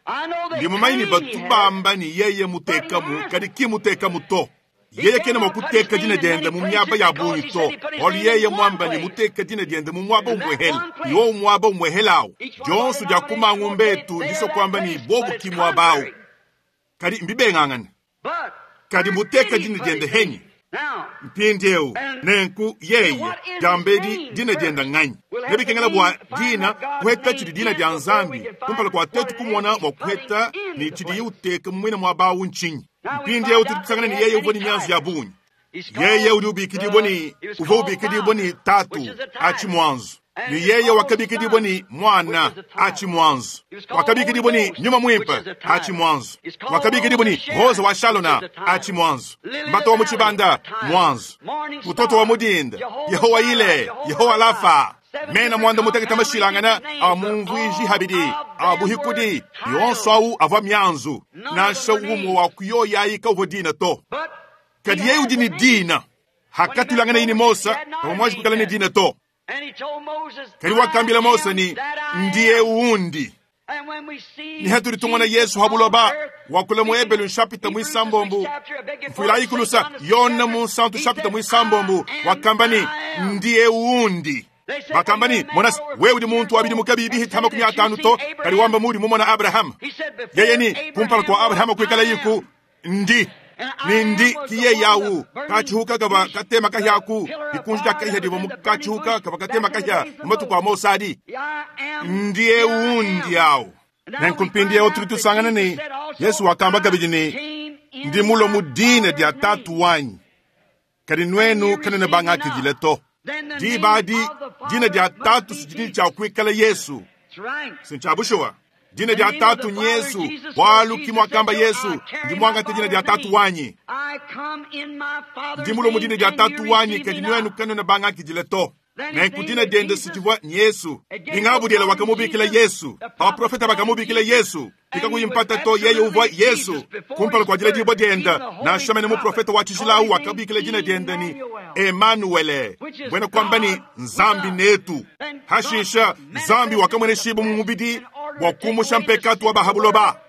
Ndi mumanyi batubamba ni yeye mutekamu kadi kimutekamu to. Yeye kena mwakuteka dina dyenda mu myaba ya bungi to. Walu yeye mwamba ni muteka dina dyenda mu mwaba umwehela. Yo mwaba umwehelao. Jonsu dya kumangumbetu ndiso kwamba ni bobu kimwabao. Kadi mbibengangana. Kadi muteka dina dyenda henyi. Mpindiewu nenku yeye jambedi dina dyenda ng'anyi nebikengela bwa dina kuheta chidi dina dya nzambi kumpala kwa tetu kumona mwa kuheta ni chidi uteka mwina mwa bawu nchinyi. Mpindiewu tulitusangana ni yeye uvo ni myanzu ya bunyi. Yeye uli ubikidibwa ni uvo ubikidibwa ni tatu achi mwanzo. Ni yeye wakabikidibwa ni mwana achi mwanzo. Wakabikidibwa ni nyuma mwimpe achi mwanzo. Wakabikidibwa ni roza wa Shalona achi mwanzo. Mbato wa muchibanda mwanzo. Mtoto wa mudinda Yehowa ile Yehowa lafa. Mena mwanda muteketa mashilangana amumvwiji habidi abuhikudi yonso au ava myanzu nansha umwe wa kuyoya ika dina to. Kadi yeye udi ni dina hakatulangana ini Mosa pamwaji kukala ni dina to. Kadi wakambila Mosa ni ndiye uundi. Ni haturi tumona Yesu habuloba wakula muebelu nshapita mwisambombu mfuila ikulusa yona mu santu shapita mwisambombu wakamba ni ndiye uundi. Bakamba ni monasi wewe udi muntu wabidi mukabibi hitama kumi atanu to kadi wamba muri mumona Abraham. Yeye ni kumpala kwa Abraham kwikala yiku ndi nindi kiye yawu kachihuka kava katema kahyaku ikunji kahya divo mukachihuka kava katema kahya mumatu kwa Mosadi ndiye undi yawu. Nenkumpindie otuli ni Yesu wakamba kabidi ni ndi mulo mudine dya tatu wanyi kadi nwenu kanene banga kijile to. Dibadi dina dya tatu sijini cha kuikala Yesu sinchabushuwa dina dya tatu nyesu walu kimwakamba Yesu ndi mwanga dina dya tatu wanyi ndi mulo mudina dya tatu wanyi kadi nwenu kanene banga kijile to. Nenku dina dyenda sijivwa nyesu ningabudyela wakamubikila Yesu abaprofeta bakamubikila Yesu ikakuyimpata to yeye uvwa Yesu kumpala kwa jila jibwa dyenda nashamene muprofeta wa chijilawu wakabikila dina dyenda ni Emanuele bwena kwamba ni nzambi netu. Hashisha nzambi wakamwene shibu mumubidi wakumusha mpekatu wa bahabuloba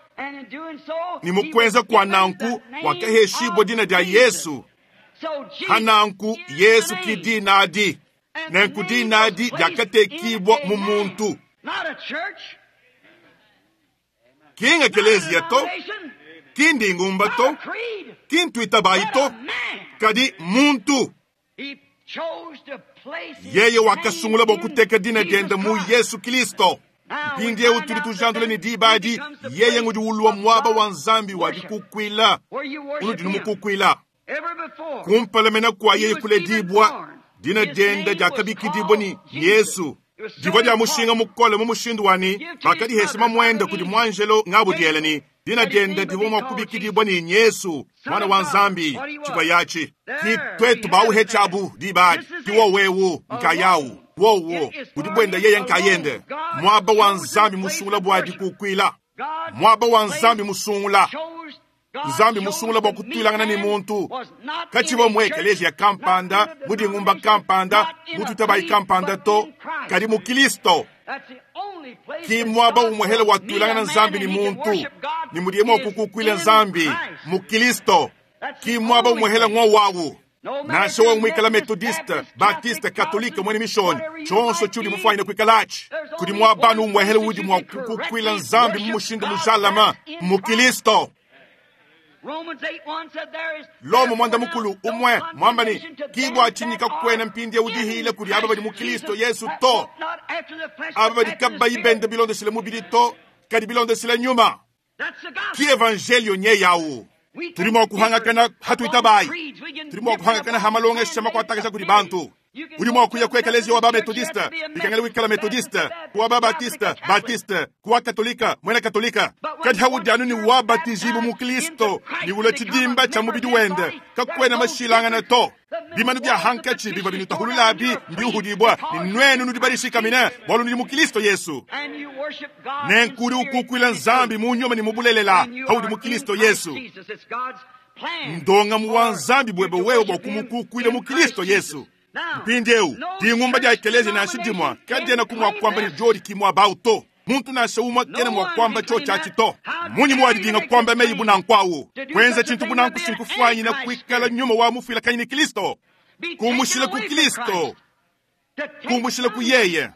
ni mukwenza kwa nanku wakaheshibwa dina dya Yesu. Hananku Yesu kidinadi nenku dinadi dyakatekibwa mu muntu. Kinga kelezia to kindingumba to kintwitabayi to kadi muntu. Yeye wakasungula bokuteka dina dyenda mu Yesu Kristo. Mpindie utuli tujandule ni dibadi yeye ngudi ulwa mwaba wa nzambi wa dikukwila unudi numukukwila kumpalemena kwa yeye kule dibwa dina dyenda dyakabikidibwa ni Yesu. Divwa dya mushinga mukole mu mushindu wani bakadi heshima mwenda kudi mwanjelo ngabudyela ni dina dyenda divwa mwakubikidibwa ni Yesu mwana wa nzambi chibwa yachi ki twetu bauhe chabu dibadi kiwo wewu nkayawu wowo kudibwenda yeye nkayende mwaba wa nzambi musungula bwadi kukwila mwaba wa nzambi musungula nzambi musungula bwa kutwilangana ni muntu kachibo mu ekelesia kampanda mudingumba kampanda mututabayi kampanda to kadi mu Kristo ki mwaba umwehele watwilangana nzambi ni muntu ni mudiemo kukukwila nzambi mu Kristo ki mwaba umwehele ng'o wawu Nasha wa mwikala Methodiste, Baptiste, Katolike, mwene mishoni chonso chuli mufanyina kwikalachi kudi mwabanu umwehele udi mwa kukukwila nzambi mumushindu mujalama mu Kristo. Lomo mwanda mukulu umwe mwambani kibwa chinyika kwena mpindi ya udihile kuli aba bali mu Kristo Yesu to aba bali kabba ibende bilondesile mubili to kadi bilondesile nyuma ki evangelio nye yawu Turimo kuhangakana hatuitabai. Turimo kuhangakana hamalonga shama kwa takasha kuri bantu. Udi mua kuya ku ekeleziya wa ba-Methodiste, bikengela wikala Methodiste, ku wa ba-Baptiste, Baptiste, ku wa Katolika, muena Katolika. Kadi haudi anu ne wabatijibu mu Kristo, ne ulua tshidimba tshia mubidi wende, kakuena mashilangana to. Bimanu bia hankatshi bivua binutahululabi mbiuhudibua, ne nuenu nudi badishikamine bualu nudi mu Kristo Yesu. Nenku udi ukukuila Nzambi mu nyuma ne mu bulelela haudi mu Kristo Yesu. Ndongamu wa Nzambi bwebe wewe bua kumukukuila mu Kristo Yesu. Mpindieu dingumba dia ekelezia nansha dimua kadiena kumua kuamba ne diodi kimua bau to. Muntu nansha umue kena mua kuamba tshio tshiatshi to. Munyi muwadidinga kuamba meyi bunanku awu? Kuenza tshintu bunanku sinkufuanyina kuikala nyuma wa mufuilakanyi ne Kristo. Kumushila ku Kristo, kumushila ku yeye.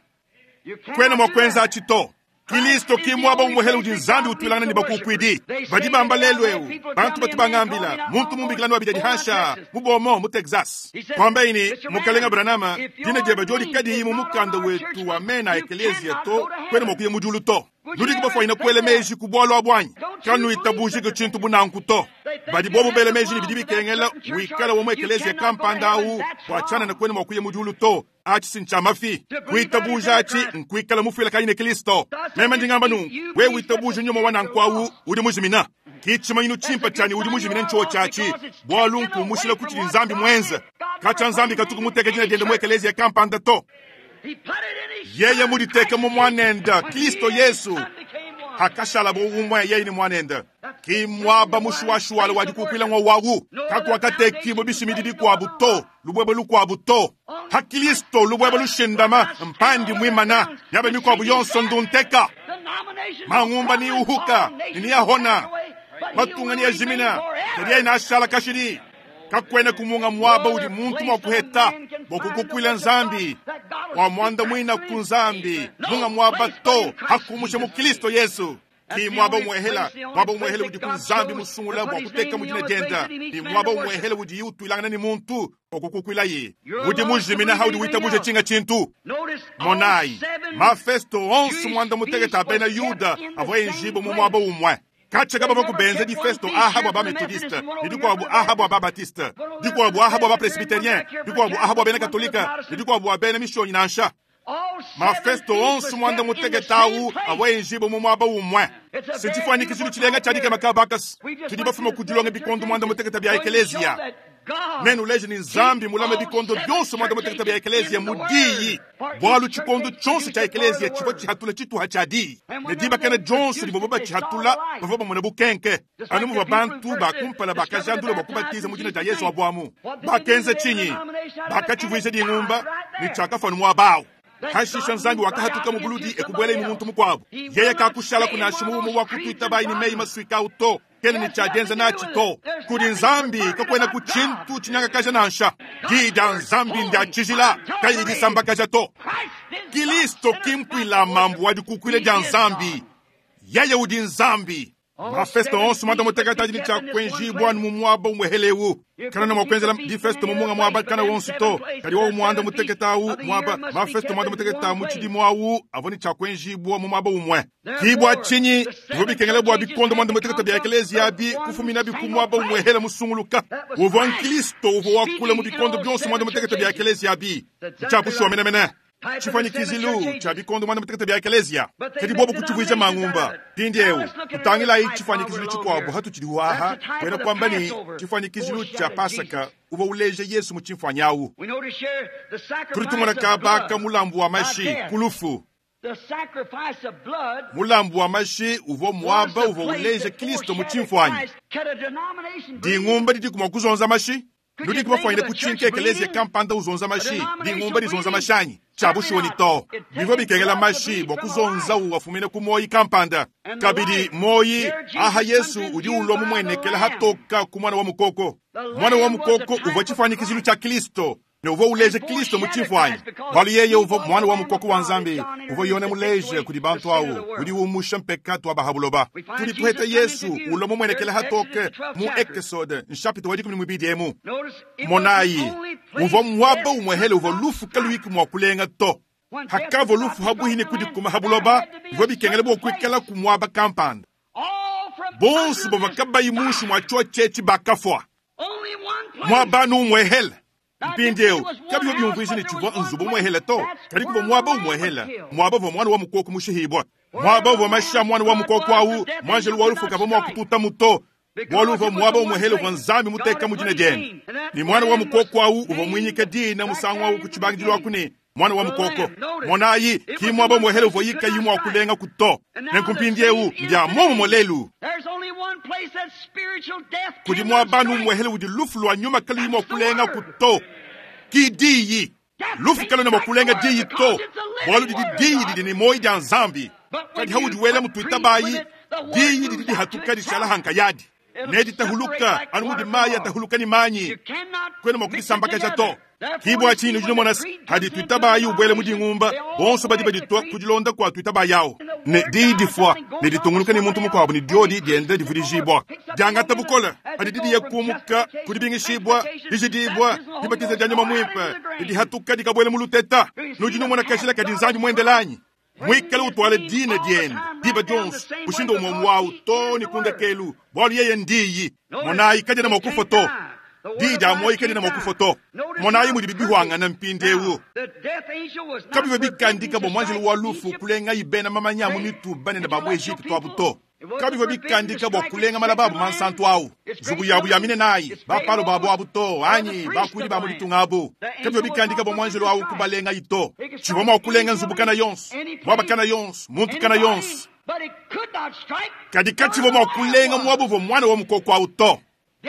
Kwena mua kuenza atshi to. Kristo ki muaba umuhela udi Nzambi utuilangana ne bakukuidi. Badi bamba lelu eu, bantu batu bangambila, muntu mumbikila no abidi hansha, mu Beaumont, mu Texas. Kwamba ini, mukalenga Branham, dina diebe diodi kadiyi mu mukanda wetu wa mena ekelezia to, kwena mua kuya mu diulu to. Nudi kubafuanyina kuela meji ku bualu abu anyi? Kanuitabujike tshintu bunanku to. Badi bobu bela meji ne bidi bikengela wikala wa mu ekelezia kampanda awu, bua tshianana kwena mua kuya mu diulu to. Atshi si ntshia mafi. Kuitabuja atshi nkuikala mufuilakanyi ne Kristo. Meme ndi ngamba nunku, wewe witabuja nyuma wa nanku awu udi mujimina. Ki tshimanyinu tshimpe tshianyi udi mujimina ntshio tshiatshi, bualu nkumushila ku tshidi Nzambi muenze. Katshia Nzambi katuku muteke dina diende mu ekelezia kampanda to. Yeye muditeke mu mwanenda Kristo Yesu. Hakashala bo umwe yeye ni mwanenda. Ki mwaba mushuwashuwala wa dikukuila ngwa wawu. Kakuakatekibwa bishimidi bikuabu to, lubwebe lukuabu to. Ha Kristo lubwebe lushindama mpandi mwimana, yabe mikuabu yonso ndunteka. Mangumba ni uhuka, ni yahona. Matunga ni yajimina, kadi yeye nashala kashidi. Kakwena kumunga mwaba udi muntu mwa kuheta, bwa kukukuila Nzambi. Wa mwanda mwina ku Nzambi, munga mwaba to, hakumusha mu Kristo Yesu. Ki mwaba umwehela, mwaba umwehela udi ku Nzambi musungula bwa kuteka mu dina dienda. Ni mwaba umwehela udi utuilangana ni muntu bwa kukukuila ye. Udi mujimina haudi witabuje tshinga tshintu. Monai, mafesto onso mwanda muteketa bena Yuda avua enjibo mu mwaba umwe. Katshaka baba kubenza di festo aha bwa ba Methodiste, ni dikuabu aha bwa ba Baptiste, dikuabu aha bwa ba Presbyterien, dikuabu aha bwa bena Katolika, ni dikuabu bwa bena Mishonyi nansha. Mafesto onso mwanda muteketa awu avua enjibo mu mwaba umwe. Setshifuanyikishilu tshilenga tshiadika makabakasi. Tudi bafuma ku dilonga bikondo mwanda muteketa bia ekelezia. Nenu leje ni Nzambi mulame bikondo byonso mwanda muteketa bia ekelezia mu diyi. Bualu tshikondo tshonso tshia ekelezia tshivua tshihatula tshituha tshia diyi. Ne dibakana dionso divua batshihatula bavua bamona bukenke. Anu muvua bantu bakumpala bakajandula bua kubatiza mu dina dia Yesu abuamu. Bakenza tshinyi? Bakatshivuija dingumba ne tshiakafanu muaba awu. Hashisha Nzambi wakahatuka mu buludi ekubwela mu muntu mukuabu. Yeye kakushala kunasha mumu wa kutuita bayi ni meyi masuika to. Kena ni tshiadenza natshi to. Kudi Nzambi kakwena ku tshintu tshinyangakaja nansha. Di dia Nzambi ndia tshijila kayi disambakaja to. Kristo kimpuila mambu wa dikukuila dia Nzambi. Yeye udi Nzambi. Mafesto onso mwanda muteketa ni tshia kuenjibwa mu mwaba umwehelewu. Kana na mwakwenzela difesto mu munga mwaba kana wonso to. Kadi wo mwanda muteketa awu mwaba mafesto mwanda muteketa mu tshidimu awu avua ni tshia kuenjibwa mu mwaba umwe. Kibwa tshinyi bivua bikengela bua bikondo mwanda muteketa bia ekelezia abi kufumina bi ku mwaba umwehela musunguluka. Uvua Nkristo uvua wakula mu bikondo bionso mwanda muteketa bia ekelezia abi. Tshia bushuwa menemene. Tshifuanyikizilu tshia bikondo mwanda muteketa bia ekelezia. Kadi bobu kutshivuija mangumba. Mpindieu, tutangilayi tshifuanyikizilu tshikuabu hatutshidi aha, kwena kwamba ni tshifuanyikizilu tshia Pasaka uvua uleja Yesu mu tshimfuanyi awu. Tudi tumona kabaka mulambu wa mashi ku lufu. Mulambu wa mashi uvua muaba uvua uleja Kristo mu tshimfuanyi. Dingumba didi kumua kuzonza mashi. Nudi kubafuanyine kutshinka ekelezia kampanda uzonza mashi, dingumba dizonza mashi anyi. Tshia bushuwa ni to. Bivua bikengela mashi bua kuzonza uwafumine ku moyi kampanda. Kabidi moyi aha Yesu udi ulua mumuenekela hatoka ku mwana wa mukoko. Mwana wa mukoko uvua tshifuanyikizilu tshia Kristo. Ne uvua uleja Kristo mu tshimfuanyi. Bualu yeye uvua mwana wa mukoko wa Nzambi, uvua Yone muleje kudi bantu awu, udi umusha mpekatu wa bahabuloba. Tudi tuheta Yesu ulua mumuenekela hatoke mu Ekesode nshapita wa dikumi ne muibidi emu. Monayi, uvua muaba umwehele uvua lufu kaluiki mua kulenga to. Hakavua lufu habuhi ne kudikuma habuloba, bivua bikengela bua kuikala ku muaba kampanda. Bonso bavua kabayi munshi mua tshio tshietshi bakafua. Muaba anu umwehele. Mpindieu kabivua biumvuija ne tshivua nzubu umuehela to, kadi kuvua muaba umuehela, muaba uvua muana wa mukoko mushihibua, muaba uvua mashi a muana wa mukoko awu muanjelu wa lufu kavua mua kututamu to, bualu uvua muaba umuehela uvua Nzambi muteka mu dina diende. Ne muana wa mukoko awu uvua muinyika dina musangu awu ku tshibangidilu aku ne muana wa mukoko. Monayi, ki muaba umuehela uvua yikayi mua kulenga ku to. Nenku mpindieu mbia muomumue lelu. Kudi muaba anu umuehela udi lufu lua nyuma kaluyi mua kulenga ku to. Ki diyi. Lufu kaluena mua kulenga diyi to, bualu didi diyi didi ne muoyo dia Nzambi. Kadi haudi wela mutuitabayi, diyi didi dihatuka dishala hankayadi. Ne ditahuluka anu mudi mayi atahuluka ne manyi, kuena mua kudisambakaja to. Ki bua tshinyi nudi numona se, hadi tuitabayi ubuela mu dingumba, bonso badi baditua ku dilonda kua tuitabayi awu. Ne diyi difua ne ditungunuka ne muntu mukuabu ne diodi dienda divudijibua. Diangata bukole hadi didiye kumuka ku dibingishibua, dijidibua, dibatiza dia nyuma muimpe, ne dihatuka dikabuela mu luteta. Nudi numona kashila kadi Nzambi muendela anyi? Muikale utwala dina diende diba dionso mushindu umwe wawu to ne kundekelu, bualu yeye ndiyi. Monayi kadiena mua kufua to. Diyi dia muoyo kadiena mua kufua to. Monayi mudi bibihwangana mpindieu. Kabivua bikandika bua muanjelu wa lufu kulengayi bena mamanya mu mitu banene ba mu Egypte abu to. Kabivua bikandika bua kulenga malaba abu mansantu awu, nzubu yabu ya minenayi, bapalo babu abu to, anyi bakuidi ba mu ditunga abu. Kabivua bikandika bua muanjelu awu kubalengayi to. Tshivua mua kulenga nzubu kana yonso, muaba kana yonso, muntu kana yonso. Kadi katshivua mua kulenga muaba uvua muana wa mukoko awu to.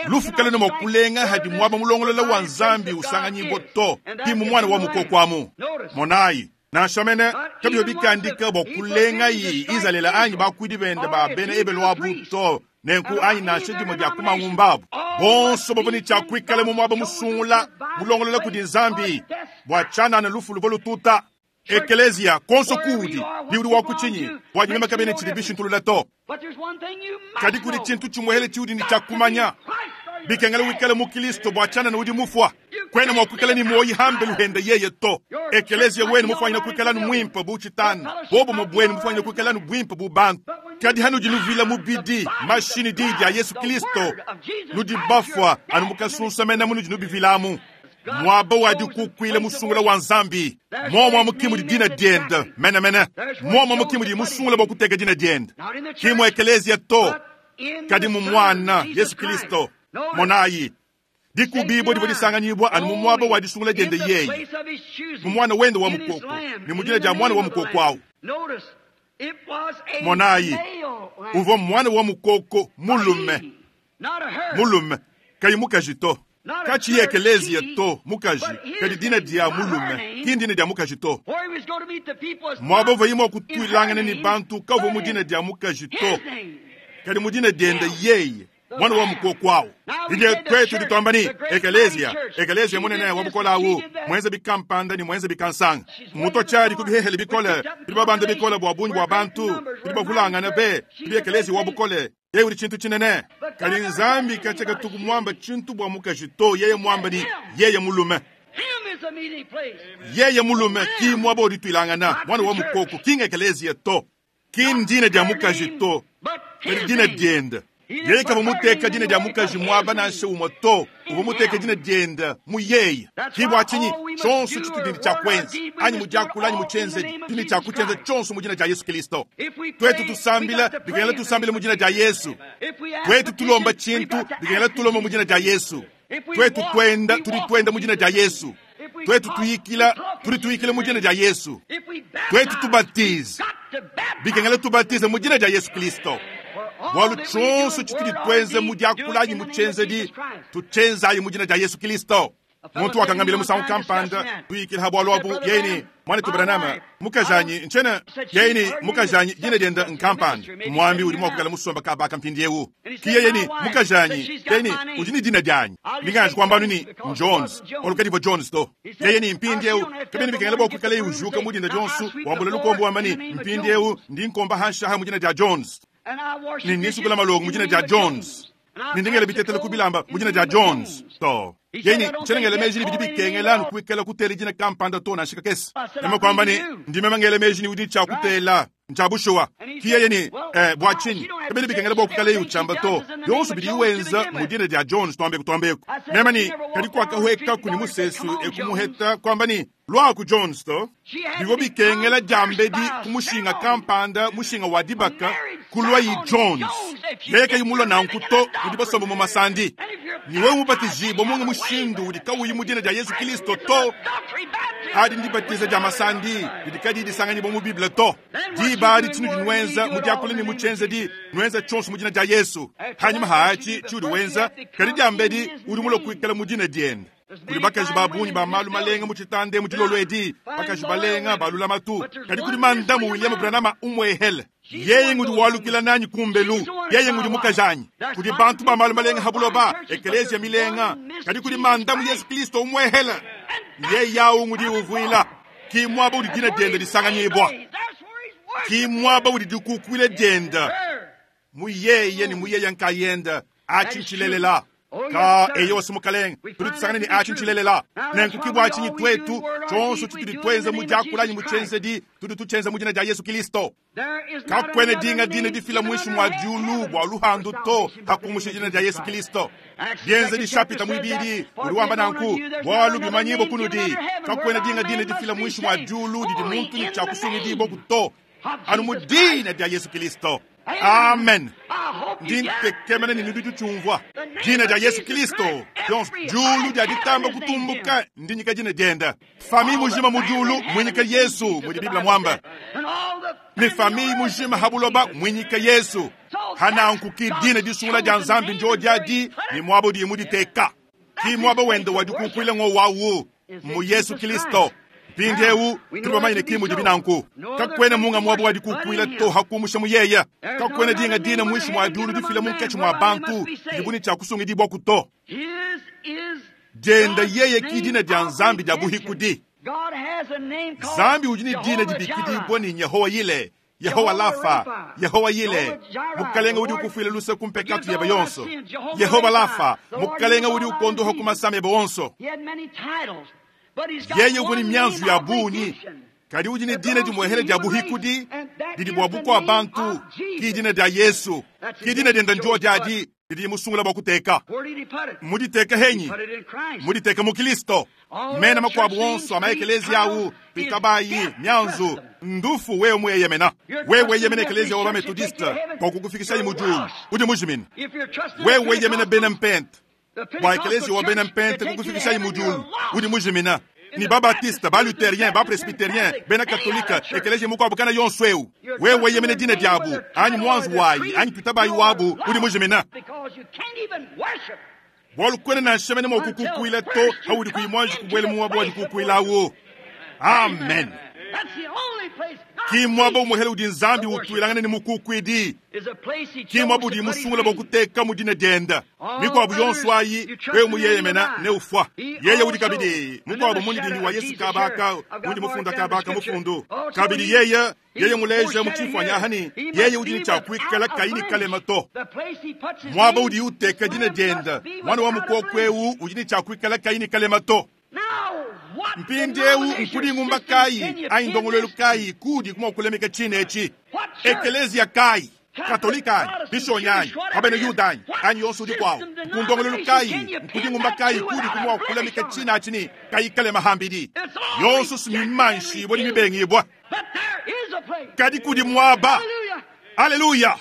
Lufu kaluena mua kulenga hadi muaba mulongolola wa Nzambi usanganyibua to, ki mu muana wa mukoko amu. Monayi, nansha mene kabivua bikandika bua kulengayi Izalele anyi bakuidi bende ba bena Ebelu abu to, nenku anyi nansha dimue dia ku mangumba abu. Bonso bavua ne tshia kuikala mu muaba musungula mulongolola kudi Nzambi bua tshianana lufu luvua lututa. Ekelezia konso kuudi ni udi wa kutshinyi bua nyuma kabene tshidi bishintulula to. Kadi kudi tshintu tshimuehele tshiudi ne tshia kumanya, bikengela wikale mu Kristo bua tshianana udi mufua. Kwena mua kuikala ne muoyi hambe luhenda yeye to. Ekelezia wenu mufanyina kuikala nu muimpe bu tshitanu, bobo bwenu mufanyina kuikala nu buimpe bu bantu. Kadi hanudi nuvila mubidi mashini diyi dia Yesu Kristo, nudi bafua anu mukasunsamena munudi nubivilamu. Muaba wa dikukuila musungula wa Nzambi, muomua mukimu di dina diende mene mene, muomua mukimu di musungula bua kuteka dina diende. Ki mu ekelezia to, kadi mu muana Yesu Kristo. Monayi, dikubibua divua disanganyibua anu mu muaba wa disungula diende yeye, mu muana wende wa mukoko, ne mu dina dia muana wa mukoko awu. Monayi, uvua muana wa mukoko mulume, mulume kayi mukaji to. Kachi ekelezia to mukaji, kadi dina dia mulume, ki ndina dia mukaji to. Muaba uvua imua kutuilangana ne bantu kavua mu dina dia mukaji to, kadi mu dina diende yeye, mwana wa mukoko awu. Ije twetu dituamba ni ekelezia, ekelezia munene wa bukola awu, mwenze bikampanda ni mwenze bikansanga. Muto chari kubihehele bikole, bidi babanda bikole bua bungi bua bantu, bidi bavulangana be, bidi ekelezia wa bukole. Yeye udi tshintu tshinene. Kadi Nzambi kachaka tuku mwamba tshintu bua mukaji to, yeye mwamba ni yeye mulume. Yeye mulume ki mwaba udi tuilangana, mwana wa mukoko ki ekelezia to. Ki ndina dia mukaji to, kadi dina diende. Yeye kavua muteka dina dia mukaji mwaba nansha umwe to, uvua muteka dina diende mu yeye. Ki bua tshinyi tshonso tshitudi tshia kwenza, anyi mu diakula anyi mu tshienzedi, tudi tshia kutshienza tshonso mu dina dia Yesu Kristo. Twetu tusambila, bikengela tusambile mu dina dia Yesu. Twetu tulomba tshintu, bikengela tulomba mu dina dia Yesu. Twetu twenda, tudi twenda mu dina dia Yesu. Twetu tuyikila, tudi tuyikila mu dina dia Yesu. Twetu tubatize, bikengela tubatize mu dina dia Yesu Kristo. Bualu tshonso tshitudi twenze mu diakula anyi mu tshienzedi, tutshienzayi mu dina dia Yesu Kristo. Muntu wakangambila musangu kampanda tuyikila ha bualu abu, yeye ni mwanetu Branham, mukajanyi nchena, yeye ni mukajanyi dina diende nkampanda. Mwambi udi mua kukala musomba kabaka mpindieu. Ki yeye ni mukajanyi, yeye ni udi ni dina dianyi. Ndingaji kwamba ni Jones, olukadivo Jones to. Yeye ni mpindieu, kabini bikengela bua kuikala ujuka mu dina dionso, wambula lukombo wamba ni mpindieu ndi nkomba hansha mu dina dia Jones. Ni nisukula malongo mu dina dia Jones. Nindingela bitetela kubilamba mu dina dia Jones to. Yeye tshenengele meji ni bidi bikengela nukuikala kutela dina kampanda to nansha kakese. Nema kwamba ni ndime mangele meji ni udi tshia kutela. Ncha bushuwa kiyeye ni eh, bwa chinyi kabili bikengela bokukala uchamba to yonso bidi wenza mudina dia Jones twambe kutwambeko nemani kali kwakahweka kuni musesu ekumuheta kwamba ni lwaku Jones to bigo bikengela jambedi kumushinga kampanda mushinga wa dibaka kulwa yi Jones leka yimulwa nankuto udi basomba mu masandi niwe mubatizibwa munga mushindu udi kawuyi mudina dia Yesu Kristo to adi ndibatiza dia masandi didi disanganyibwa mu Biblia to diba di tshinu dinwenza mudiakula ni muchenza di nwenza tshonso mudina dia Yesu hanyuma haachi tshiudi wenza kadi diambedi udi mulo kuikala mudina diende kuli bakaji babunyi ba malu malenga muchitande muchilolo edi bakaji balenga balula matu kadi kuli mandamu William Branham umwehele yeye ngudi walukila nanyi kumbelu yeye ngudi mukajanyi kuli bantu ba malu malenga habuloba ekelezia milenga kadi kuli mandamu Yesu Kristo umwehele yeye yawu ngudi uvuila ki mwaba udi dina dienda disanganyibwa ki mwaba udi dikukwile dienda muyeye ni muyeye nkayenda achinchilelela ka eyo simukalenga tuli tusangane ni achinchilelela nenkukibwa achinyi twetu chonso chituli twenza mujakulanyi muchenzedi tuli tuchenza mujina dia Yesu Kristo kakwene dinga dina difila mwishi mwa julu bwa luhandu to hakumusha jina dia Yesu Kristo dienze dishapita mwibidi uliwamba nanku bwalu bimanyibo kunudi kakwene dinga dina difila mwishi mwa julu didi muntu ni chakusungidibwa kuto anu mudina dia Yesu Kristo. Amen. Ndintekemene ni ndudu chumvwa jina dia Yesu Kristo julu dia ditamba kutumbuka ndinyika jina dienda fami mujima mujulu mwinyika Yesu mudi Biblia mwamba ni fami mujima habuloba mwinyika Yesu hanankuki dina disungula dia nzambi njo diadi ni mwabo di muditeka ki mwabo wenda wadikukwile ngo wawu mu Yesu Kristo mpindiewu tuli kimu dibinanku kakwene munga mwabo wadikukwila to hakumusha muyeya kakwene dinga dina mwishi mwa dulu difila munkechi mwa bantu dibuni cha kusungidibwa kuto jenda yeye kidina dia nzambi dia buhikudi zambi ujini dina dibikidibwa ni Yehowa yile Yehowa lafa Yehowa yile mukalenga udi ukufwila luse kumpekatu yeba yonso Yehowa lafa mukalenga udi ukondoha kumasama yeba wonso yeye uvuni myanzu ya bunyi kadi udi ni dina dimwehele dia buhikudi didi bwa bukwa bantu ki dina dia Yesu ki dina dienda njo diadi didi musungula bwa kuteka muditeka henyi muditeka mu Kristo mena makwabu wonso amaekelezi awu pitabayi myanzu ndufu wewe mweyemena wewe yemena ekelezi wa Methodist kwa kukufikisha mujulu udi mujimina wewe yemena bena mpente bwa ekelezi wa bena mpente kukufikisha mujulu udi mujimina ni ba batista ba luthérien ba presbytérien bena katolika ekelezi mukwabo kana yonso eu wewe yemene dina diabu anyi mwanzu wayi anyi tutabayi wabu udi mujimina bwalu kwene na nshemene mwa kukukwila to haudi kuimwanji kubwele muwabo wadi kukwilawo. Amen. Ki mwabo umuhele udi nzambi utwilangane ni mukukwidi ki mwabo udi musungula bokuteka mudina dienda mikwabo yonso ayi wewe muyeyemena ne ufwa yeye udi kabidi mukwabo mundidindi wa Yesu kabaka undi mufunda kabaka mufundu kabidi yeye yeye muleja muchifwanya hani yeye udi chakwikala kaini kalema to mwabo udi uteka dina dienda mwana wa mukokweu udi chakwikala kaini kalema to mpindiewu nkudi ngumba kayi ayi ndongolwelu kayi kudi kuma kulemeka chine echi ekelezia kayi katolika ayi bishonyi abene yuda ayi anyi yonso udi kwawo nkundongolwelu kayi nkudi ngumba kayi kudi kuma kulemeka chine achini kayi kalema hambidi yonso simimanshi bodi mibengibwa kadi kudi mwaba aleluya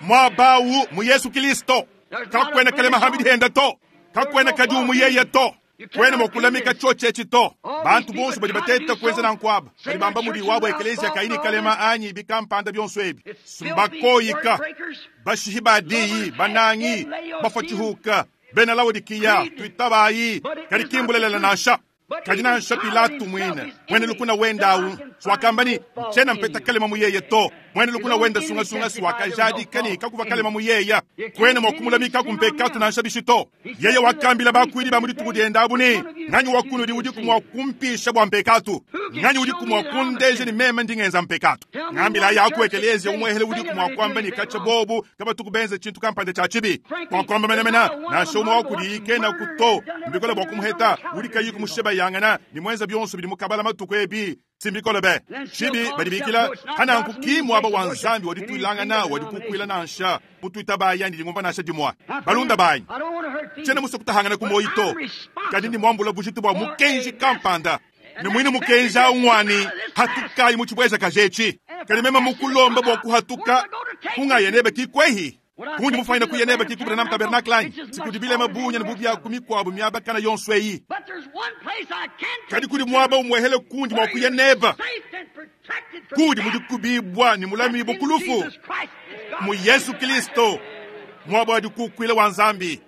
mwabawu mu Yesu Kristo kakwena kalema hambidi henda to kakwena kadi umuyeye to kwene mokulamika choche chito bantu bonso badi bateta kwenza na nkwaba badi bamba mudi wabo ekelezia kaini kalema anyi bikampanda byonso ebi simbakoyika bashihi badiyi banangi bafachihuka bena Laodikiya twitabayi kadi kimbulelela nansha kadi nansha Pilatu mwine mwene lukuna wendawu swakambani nchena mpeta kalema muyeye to mwene lukuna wenda sungasunga swakajadi kani kakuva kalema muyeya kwene mwakumulamika kumpekatu nansha bishito yeye wakambila bakwidi ba mudituku diendabu ni nganyi wakunudi udi kumwakumpisha bwa mpekatu nganyi udi kumwakundeje ni meme ndingenza mpekatu ngambila yaku ekelezia umwehele udi kumwakwamba ni kacha bobu kaba tukubenze chintu kampande cha chibi mwakwamba menemena nansha umwe wakudi ikena kuto mbikola bwa kumuheta udi kayi kumusheba yangana ni mwenza byonso bidi mukabala matuku ebi Simbikole be. Tshibi badi bikila hananku ki mwaba wa Nzambi wadituilangana wadikukwila nansha mutuita baya ndi ngumba nansha dimwa. Balunda banyi. Tshiena musue kutahangana ku moyo to. Kadi ndi mwambula bujitu bwa mukenji kampanda. Ne mwine mukenji awu ngwani hatukayi mu tshibweja kajetshi. Kadi mema mukulomba bwa kuhatuka kungaya nebe kikwehi. Kundi mufanyina kuya nebe kikubira nam tabernacle anyi. Sikudibile mabunya ne bubya ku mikwabu miaba kana yonso eyi. Kadi kudi mwaba umwehele kundi mwa kuya neba. Kudi mudi kubibwa ni mulami bukulufu. Mu Yesu Kristo mwaba wadi kukwila wa Nzambi.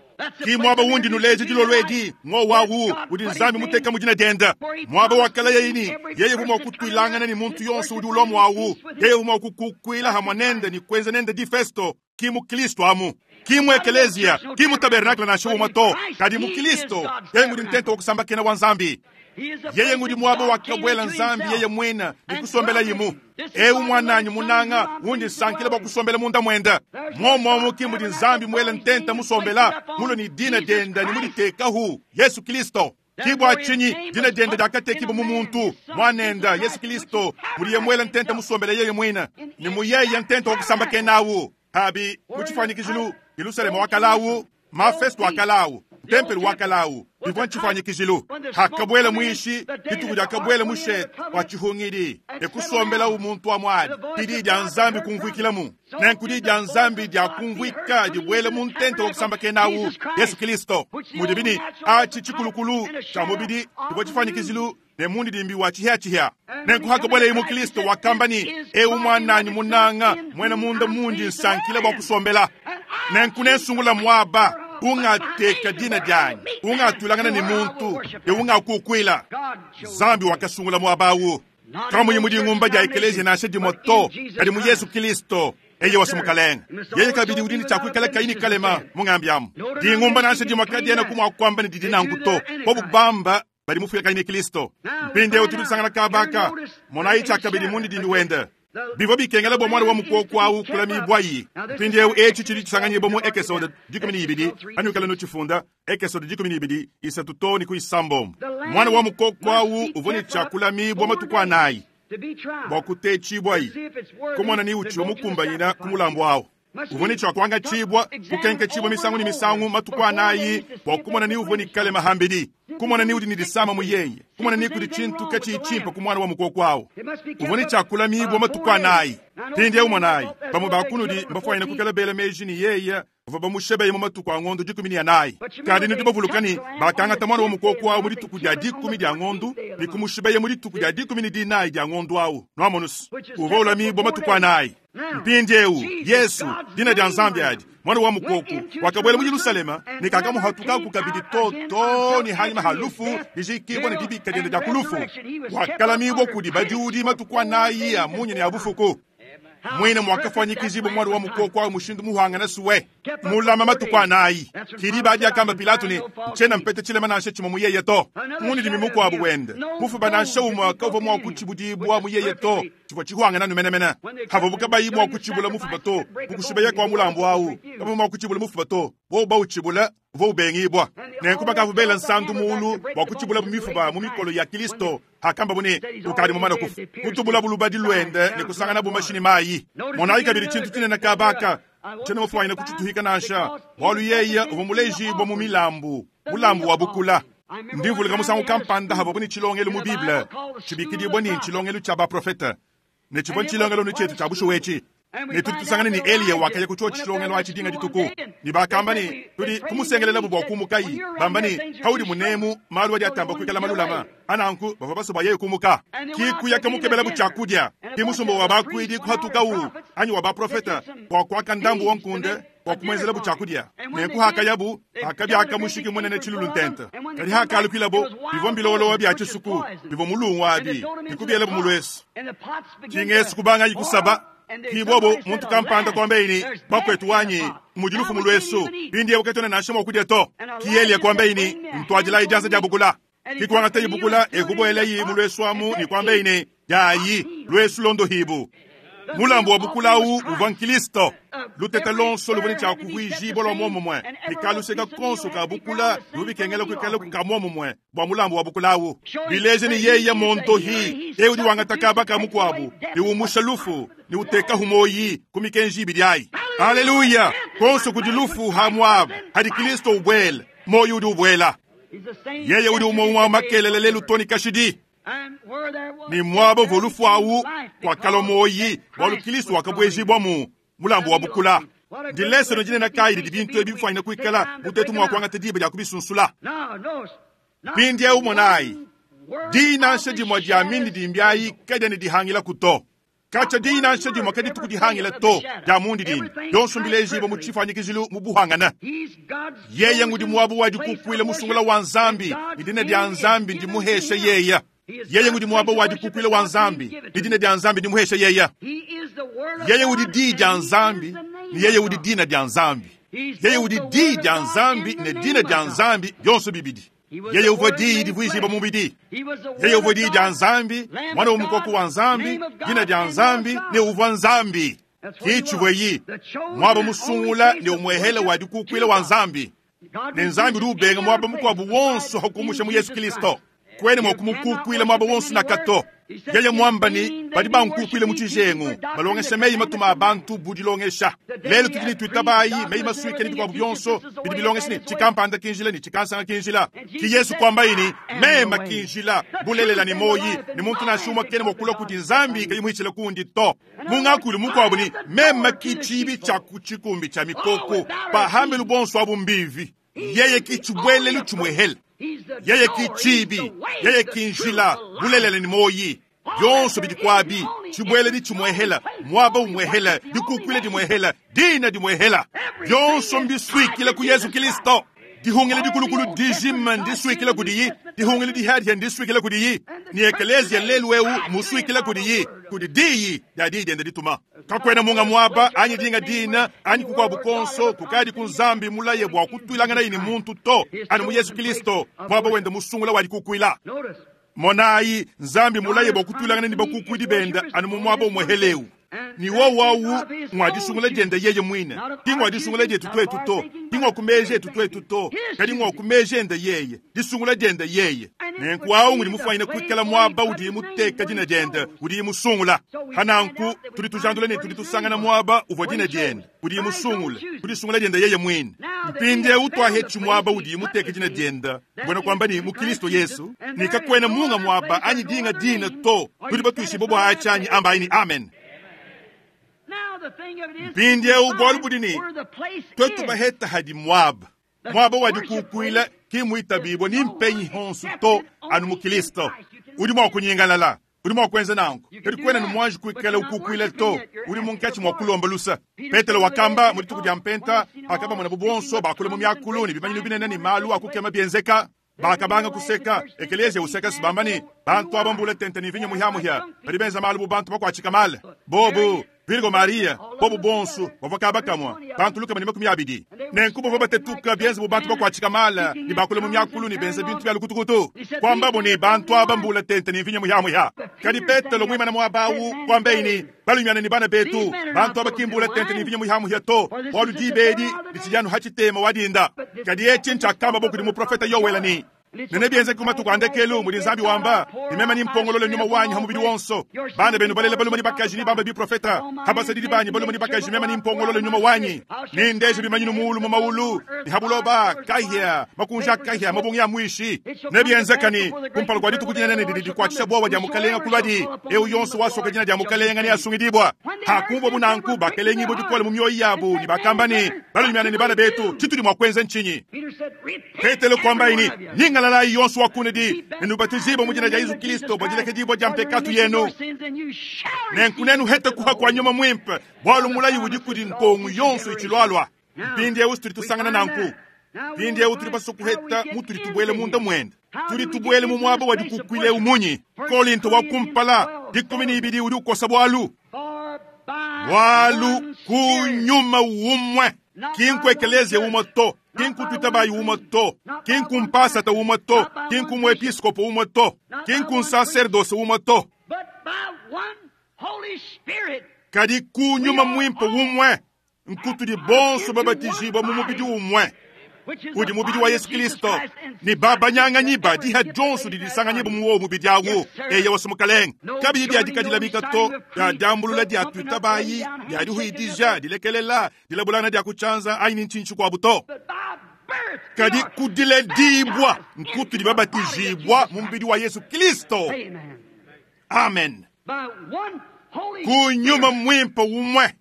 Ki mwaba wundi nuleje dilolwedi ngo wawu udi Nzambi muteka mujina denda. Mwaba wakala yeyini yeye vuma kutwilangana ni muntu yonso udi ulomo wawu. Yeye vuma kukukwila hamwa nende ni kwenza nende di festo. Ki mu Kristo amu. Ki mu ekelezia, ki mu tabernacle na shuwa to. Kadi mu Kristo yeye ngudi ntento wakusamba kena wa Nzambi. Yeye ngudi mwaba wakabwela Nzambi yeye mwena ni kusombela yimu. Eu mwananyi munanga wundi sankila bwa kusombela munda mwenda. Mwomo ki mudi Nzambi mwela ntenta musombela mulo ni dina denda ni muditekahu Yesu Kristo. Kibwa chinyi dina denda dakatekiba mu muntu mwanenda Yesu Kristo muliye mwela ntenta musombela yeye mwena ni muyeye ntenta wakusamba kenawu. Habi muchifanyikizhilu Yerusalemu wakalawu mafesto wakalawu tempelo wakalawu bivwa nchifanyikizhilu hakabwela mwishi dituku dyakabwela mushe wa chihungidi ekusombela umuntu wa mwali didi dya Nzambi kumvuikilamu nenku dya Nzambi dya kumvuika dibwele mu ntente wa kusamba kenawu Yesu Kristo mudibini achi chikulukulu cha mubidi dibwa chifanyikizilu ne mundi dimbi wa chihya nenku hakabwela imu Kristo wakambani eu mwananyi munanga mwena munda mundi nsankila bwa kusombela nenku nensungula mwaba ungateka dina dyanyi ungatulangana ni muntu e ungakukwila Nzambi wakasungula mwabawu kamunyi mudi ngumba dya ekelezia nansha dimwe to kadi mu Yesu Kristo eye wasumukalenga yeye kabidi udini chakwikala kaini kalema mungambi amu dingumba nansha dimwe kadiena kumwakwamba ni didi nangu to bobubamba bali mufika kaini Kristo mpinde utudisangana kabaka monayi chakabidi mundi dindi wenda bivyo bikengela bwa mwana wa mukoko awu kulamibwa yi mpindi ewu echi chili chisanganyibwa mu Ekesode dikumi ni ibidi anukala no chifunda Ekesode dikumi ni ibidi isatu to ni kuisambombo mwana wa mukoko awu uvone chakulamibwa matuku anayi bwa kutechibwa yi kumwana ni uchi mukumbanyina kumulambo awu uvone chakwanga chibwa kukenke chibwa misangu ni misangu matuku anayi bwa kumwana ni uvone kale mahambidi kumwana ni udi ni disama muyeye kumwana ni kudi chintu kachichimpa kumwana wa mukoko awu uvone chakulamibwa matuku anayi pindi ewu mwanayi bamwe bakunudi mbafwanyina kukela bela meji ni yeye bava bamushebeye mu matuku a ng'ondo dikumi ni anayi kadi nudi bavulukani bakangata mwana wa mukoko awu mu dituku dya dikumi dya ng'ondu ni kumushebeye mu dituku dya dikumi ni dinayi dya ng'ondu awu nwamonusu uva ulamibwa matuku anayi mpindi ewu Yesu dina dya Nzambi adi mwana wa mukoko wakabwela mu Yerusalema ni kakamuhatukaku kabidi toto ni hanyuma halufu dijikibwa ni dibika dyende dya kulufu wakalamibwa kudi badiudi matuku anayi ya munyi ni abufuku mwine mwakafanyikizibwa mwana wa mukoko awu mushindu muhangana suwe mulama matuku anayi kili badi akamba Pilato ni nchena mpete chilema nansha chimwe muyeye to muni dimi mukwabu wende mufuba nansha umwe akauva mwa kuchibudibwa muyeye to chivwa chihwangana numenemene havobuka bayi mwa kuchibula mufuba to mukushibeya kwa mulambo awu kama mwa kuchibula mufuba to bo bauchibula vo ubengibwa nenku bakavubela nsandu mulu bwa kuchibula mumifuba mu mikolo ya Kristo hakamba bune ukali mumana kufu kutubula bulubadi lwende ne kusangana bumashini mayi monayi kabili chintu chinene kabaka chene mufwanyina kuchituhika nansha bwalu yeye uva mulejibwa mu milambu mulambu wa bukula ndivulika musangu kampanda havo buni chilongelo mu Bible chibikidibwa ni chilongelo cha baprofeta ne chibwa chilongelo ni chetu cha bushuwechi ne tudi tusangane ni Eliya wakaya kucho chilongelo achidinga dituku ni bakamba ni tudi kumusengelela bubwa kumukayi bamba ni haudi munemu malu wadi atamba kuikala malulama ananku bava basoba yeye kumuka kikuya kamukebela buchakudya kimusumbo wa bakwidi kuhatukawu anyi wa baprofeta kwa kwaka ndambu wankunde kwa kumwenzela buchakudya nenku hakayabu akabyaka mushiki munene chilulu ntente kadi hakalukwilabo bivwa mbilowolowa bya chisuku bivwa mulungu abi nikubyela bumulwesu chingesu kubanga yikusaba kibobo muntu kampanda kwambeini bakwetu wanyi mujilufu mulwesu pindi yebuketone nansha mwakudya to kiyeliya kwambeini ntwajila ijanza dya bukula kikuwangata ibukula ekubwela yi mulwesu amu ni kwambeini yayi lwesu londo hibu Mulambu wa bukula awu uvwa Nkristo. Lutete lonso luvwa ne tshia kuvuijibwa lwa muomumue, ne kaluseka konso ka bukula luvua bikengela kuikala ka muomumue bua mulambu wa bukula awu. Bileje ne yeye montohi, eu udi wangata kaba ka mukuabu, ne umusha lufu, ne utekahu moyi ku mikenji ibidi ayi. Haleluya! Konso kudi lufu ha muaba, hadi Kristo ubwela, moyi udi ubwela. Yeye udi umwe wa makelele lelu toni kashidi. Ni mwaba uvua lufu awu kwakala moyi bwalu Kristo wakabwejibwa mu mulambu wa bukula. Ndilesono dinene kayi didi bintu ebi bifwanyina kuikala butetu mwa kuangata diba dia kubisunsula. Mpindiewu monayi, dinansha dimwe dia mindi dimbyayi kadyena dihangila kuto. Kacha dinansha dimwe kaditu kudihangila to dia mundi dini. Yonso mbilejibo mu tshifanyikizilu mu buhangana. Yeye ngudi mwabu wa dikukwila musungula wa Nzambi, idina dia Nzambi ndimuhesha yeya. Yeye ngudi mwaba wa dikukwila wa Nzambi, idina dia Nzambi ndimuhesha yeya. Yeye udi di dia Nzambi, ni yeye udi dina dia Nzambi. Yeye udi di dia Nzambi ne dina dia Nzambi byonso bibidi. Yeye uvua diyi divuijibwa mubidi. Yeye uvua diyi dia Nzambi, mwana wa mukoko wa Nzambi, dina dia Nzambi ne uvua Nzambi. Kichibweyi mwaba musungula ne umwehela wa dikukwila wa Nzambi. Ne Nzambi udi ubenga mwaba mukuabu wonso hakumusha mu Yesu Kristo. Kwene mwa kumukukwila mwaba wonso na kato. Yeye mwamba ni badi bankukwile mu tshijengu, balongesha meyi matuma a bantu budilongesha. Lelo tudi ne tuitabayi meyi masuike ne bikuabu byonso bidi bilongesha ne tshikampanda kinjila ne tshikansanga kinjila. Ki Yesu kwamba ini mema kinjila bulelela ne moyi ne muntu nansha umwe kene mwa kulua kudi Nzambi kayi muhitshile kundi to. Mungakulu mukuabu ni mema kichibi tshia ku tshikumbi tshia mikoko pahambelu bonso abu mbivi. Yeye kitshibwelelu tshimwehela. Yeye kichibi, yeye kinjila bulelela ne moyi. Byonso bidi kwabi, tshibwele di tshimwehela, mwaba umwehela, dikukwile dimwehela, dina dimwehela. Byonso mbiswikile ku Yesu Kristo. Dihungile dikulukulu dijima ndiswikile kudiyi, dihungile dihadya ndiswikile kudiyi. Ni ekelezia lelu eu muswikile kudiyi, kudi diyi dia diyi diende dituma. Kakwena munga mwaba anyi dinga dina anyi kukwabu konso kukadi ku Nzambi mulaye bua kutwilangana ini muntu to anu mu Yesu Kristo mwaba wende musungula wa dikukwila. Monayi Nzambi mulaye bua kutwilangana ni bakukwidi benda anu mu mwaba umweheleu. Ni wo wawu mwa disungula diende yeye mwine. Ti mwa disungula dietu twetu to. Ti mwa kumeje etu twetu to. Kadi mwa kumeje ende yeye. Disungula diende yeye. Nenku awu ngudi mufwanyine kuikala mwaba udi muteka dina diende, udi musungula. Hananku tudi tujandula ne tudi tusangana mwaba uvua dina diende, udi musungula. Kudisungula diende yeye mwine. Mpindiewu twahetshi mwaba udi muteka dina diende. Mbwena kwamba ni mu Kristo Yesu. Nikakwena munga mwaba anyi dinga dina to. Tudi batwishibo bwa achanyi amba aini amen. Mpindiewu bwalu budi ni twetu baheta hadi mwaba. Mwaba wa dikukwila ki muitabibwa ni mpenyi honsu to anu mu Kristo. Udi mwa kunyingalala, udi mwa kuenza nanku. Kadi kwena ni mwanji kuikala ukukwila to, udi munkatshi mwa kulomba lusa. Petelo wakamba mu dituku dia mpenta, akaba mwana bubonso bakula mu myakulu ne bimanyinu binene ni malu akukema byenzeka. Bakabanga kuseka, ekelezia useka sibamba ni bantu abambula tente ni vinyo muhyamuhya. Badi benza malu bu bantu bakwatshika male. Bobu Virgo Maria, bobu bonso bavua bakamwa bantu lukama ne makumi abidi. Nenku bavua batetuka byenza bu bantu bakwatshika mala ni bakula mu myakulu ni benza bintu bya lukutukutu. Kwamba bo ni bantu abambula tente ni vinyo muhyamuhya. Kadi Petelo mwimana mwabawu kwamba ini balunyana ni bana betu bantu abakimbula tente ni vinyo muhyamuhya to bwalu dibedi litshijanu hachitema wadinda. Kadi echi nchakamba bo kudi muprofeta Yowela ni nene byenze kumatuku andekelu mudi Nzambi wamba nimema ni mpongolole nyuma wanyi hamubidi wonso bana benu balele baluma ni bakaji ni bamba biprofeta habasadidi banyi baluma ni bakaji mema ni mpongolole nyuma wanyi ni ndeje bimanyinu muulu mu maulu ni habuloba kahya makunja kahya mabungi ya mwishi ne byenzekani kumpala kwa dituku dinene didi dikwatshisha bwowa dia mukalenga kulwadi eu yonso wasoka dina dia mukalenga ni asungidibwa hakumbwa bunanku bakelengi bo dikole mu myoyo yabu ni bakamba ni balunyana ni bana betu tshitudi mwa kwenza nchinyi. Petelo kwamba ini ningalala yonso wakunedi nenubatizibwa mu jina dia Yesu Kristo bwa dilekediibwa dia mpekatu yenu nenku nenu hete kuha kwa nyuma mwimpe bwalu mulayi udi kudi nkongu yonso itshilwalwa. Mpindiewu tudi tusangana nanku. Mpindiewu tudi baso kuheta mutudi tubwele munda mwende. Tudi tubwele mu mwaba wa dikukwile umunyi. Kolinto wa kumpala dikumi ni ibidi udi ukosa bwalu. Bwalu kunyuma umwe. Kinku ekelezia umwe to. Kinku tutabayi umwe to. Kinku mpasata umwe to. Kinku muepiskopo umwe to. Kinku nsaserdose umwe to. But by one Holy Spirit. Kadi ku nyuma mwimpe umwe, nkutudi bonso babatijibwa mu mubidi umwe udi mubidi wa Yesu Kristo ni babanyanganyi badiha dionso didisanganyibwa mu wowo mubidi awu eye wase mukalenga kabiyi byadikadila bikato bya dyambulula dya twitabayi bya dihwidija dilekelela dilabulana dya kuchanza ayi ni nchinchi kwabu to kadi kudiledibwa nkutudi babatijibwa mu mubidi wa Yesu Kristo. Amen. Ku nyuma mwimpe umwe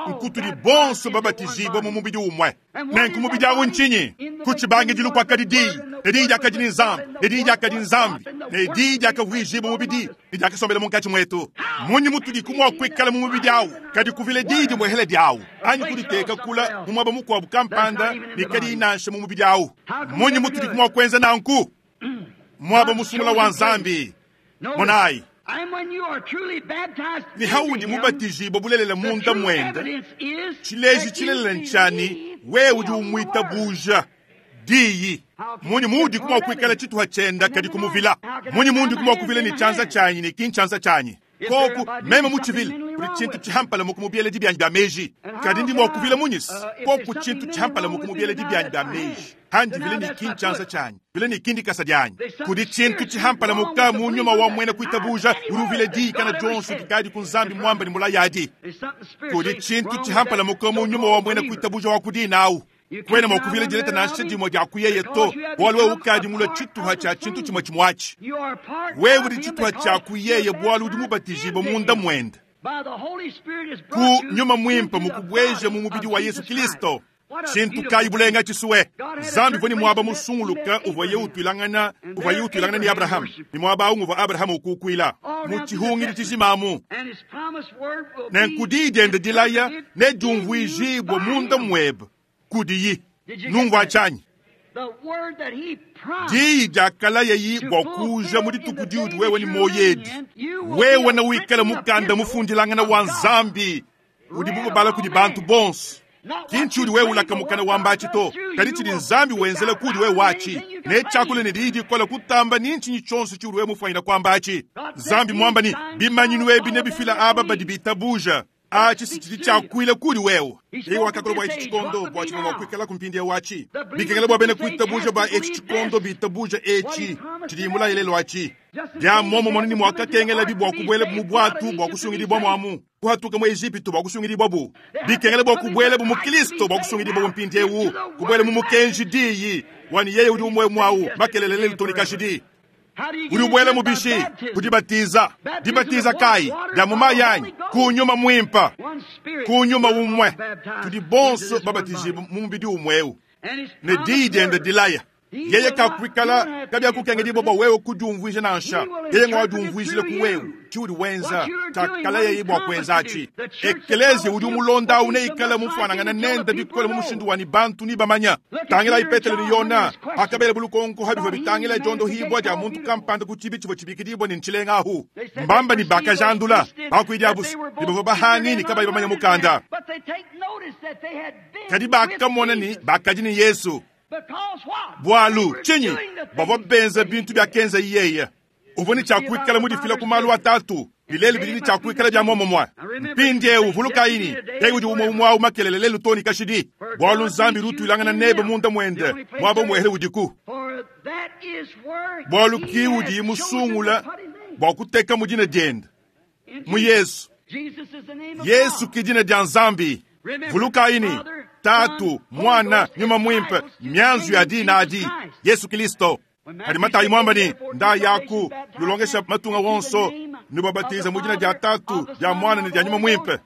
nkutudi bonso babatijibwa mu mubidi umwe. Nenku mubidi awu nchinyi kuchibangidilu kwakadi diyi ne diyi dyakadi ni nzambi ne diyi dyakadi nzambi ne diyi dyakavuijibwa mubidi ne dyakasombela munkatshi mwetu. Munyi mutudi kumwa kwikala mu mubidi awu kadi kuvile diyi dimwehele dyawu anyi kuditeka kula mu mwaba mukwabu kampanda ne kadi nansha mu mubidi awu. Munyi mutudi kumwa kwenza nanku mwaba musungula wa nzambi monayi ni haudi mubatijibwa bulelela munda mwenda chileji chilelela nchani wewe udi umwita buja diyi munyi muudi kumwa kwikala chituha chenda kadi kumuvila munyi mundi kumwa kuvila ni chanza chanyi ni kinchanza chanyi koku meme muchivile kuli chintu chihampala mukumubyele dibyanyi bya meji kadi ndi mwa kuvila munyisi koku chintu chihampala mukumubyele dibyanyi bya meji handi vile ni kinchanza chanyi vile ni kindi kasa dyanyi kuli chintu chihampala muka mu nyuma wa mwene kuitabuja uri uvile diyi kana dionso dikadi ku nzambi mwamba ni mulayadi kuli chintu chihampala muka mu nyuma wa mwene kuitabuja wa kudinawu kwena mwakuvile dileta nansha dimwe dya kuyeye to bwalu wewe ukadi mulwa chituha cha chintu chimwe chimwachi wewe udi chituha cha kuyeye bwalu udi mubatijibwa munda mwenda ku nyuma mwimpe mukubweja mu mubidi wa Yesu Kristo. Chintu kayi bulenga chisuwe zambi voni mwaba musunguluka uvwa ye utwilangana uvwa ye utwilangana ni Abraham ni mwaba awu uvwa Abraham ukukwila mu chihungili chijimamu nenkudi diende dilaya ne diumvuijibwa munda mwebe kudiyi nungwa chanyi diyi dyakala yeyi bwa kuja mu dituku diudi wewe ni moyedi wewe na wikala mukanda mufundilangana wa nzambi udi bubabala kudi bantu bonso kinchi udi wewe ulaka mukana wa mbachi to kadi chidi nzambi wenzela kudi wewe wachi ne chakula ne diyi dikola kutamba ni nchinyi chonso chiudi wewe mufanyira kwa mbachi nzambi mwamba ni bimanyinu ebi ne bifila aba badi bitabuja achi sichili chakwile kuli wewe iye wakakula bwa echi chikondo bwa chino wakwikala kumpindi wachi bikengela bwa bene kuitabuja bwa echi chikondo bitabuja echi chilimula ilelo achi dya momo monini mwakakengela bibwa kubwele mu bwatu bwa kusungilibwa mwamu kuhatuka mu Egipto bwa kusungilibwa bu bikengela bwa kubwele mu Kristo bwa kusungilibwa mu mpindi ewu kubwele mu mukenji diyi wani yeye udi umwe mwawu makelelele lutonikashidi uri ubwele mubishi kudibatiza dibatiza kai dya mumayanyi kunyuma mwimpa kunyuma umwe tudi bonso babatijibwa mu mubidi umwewu ne diyi diende dilaya yeye kakwikala kabyakukengelibwa bwa wewe kudiumvuija nansha yeye ngwa wadiumvuijile ku wewe chiudi wenza chakala yeye bwa kwenzachi ekelezia udi umulonda uneikala mufanangana nende bikole mu mushindu wani bantu ni bamanya tangila ipetelo ni yona akabele bulukonko habivyo bitangila jondo hibwa dya muntu kampanda kuchibi chibo chibikidibwa ni nchilenga ahu mbamba ni bakajandula bakwidya busi nibavo bahangi ni kabayi bamanya mukanda kadi bakamona ni bakaji ni Yesu bwalu chinyi bavwa benza bintu bya kenza yeye uvoni chakwikala mudifila kumalu atatu bileli bilini chakwikala bya momo mwa mpindi ewu vulukaini yeye udi umwe umwe au makelele lelu toni kashidi bwalu nzambi rutwilangana nebe munda mwende mwaba mwehele udiku bwalu ki udi musungula bwa kuteka mudina diende mu Yesu Yesu ki dina dya nzambi vulukaini tatu mwana nyuma mwimpe myanzu ya dina adi Yesu Kristo kadi matayi mwamba ni nda yaku lulongesha matunga wonso nibabatiza mu dina dya tatu dya mwana ne dya nyuma mwimpe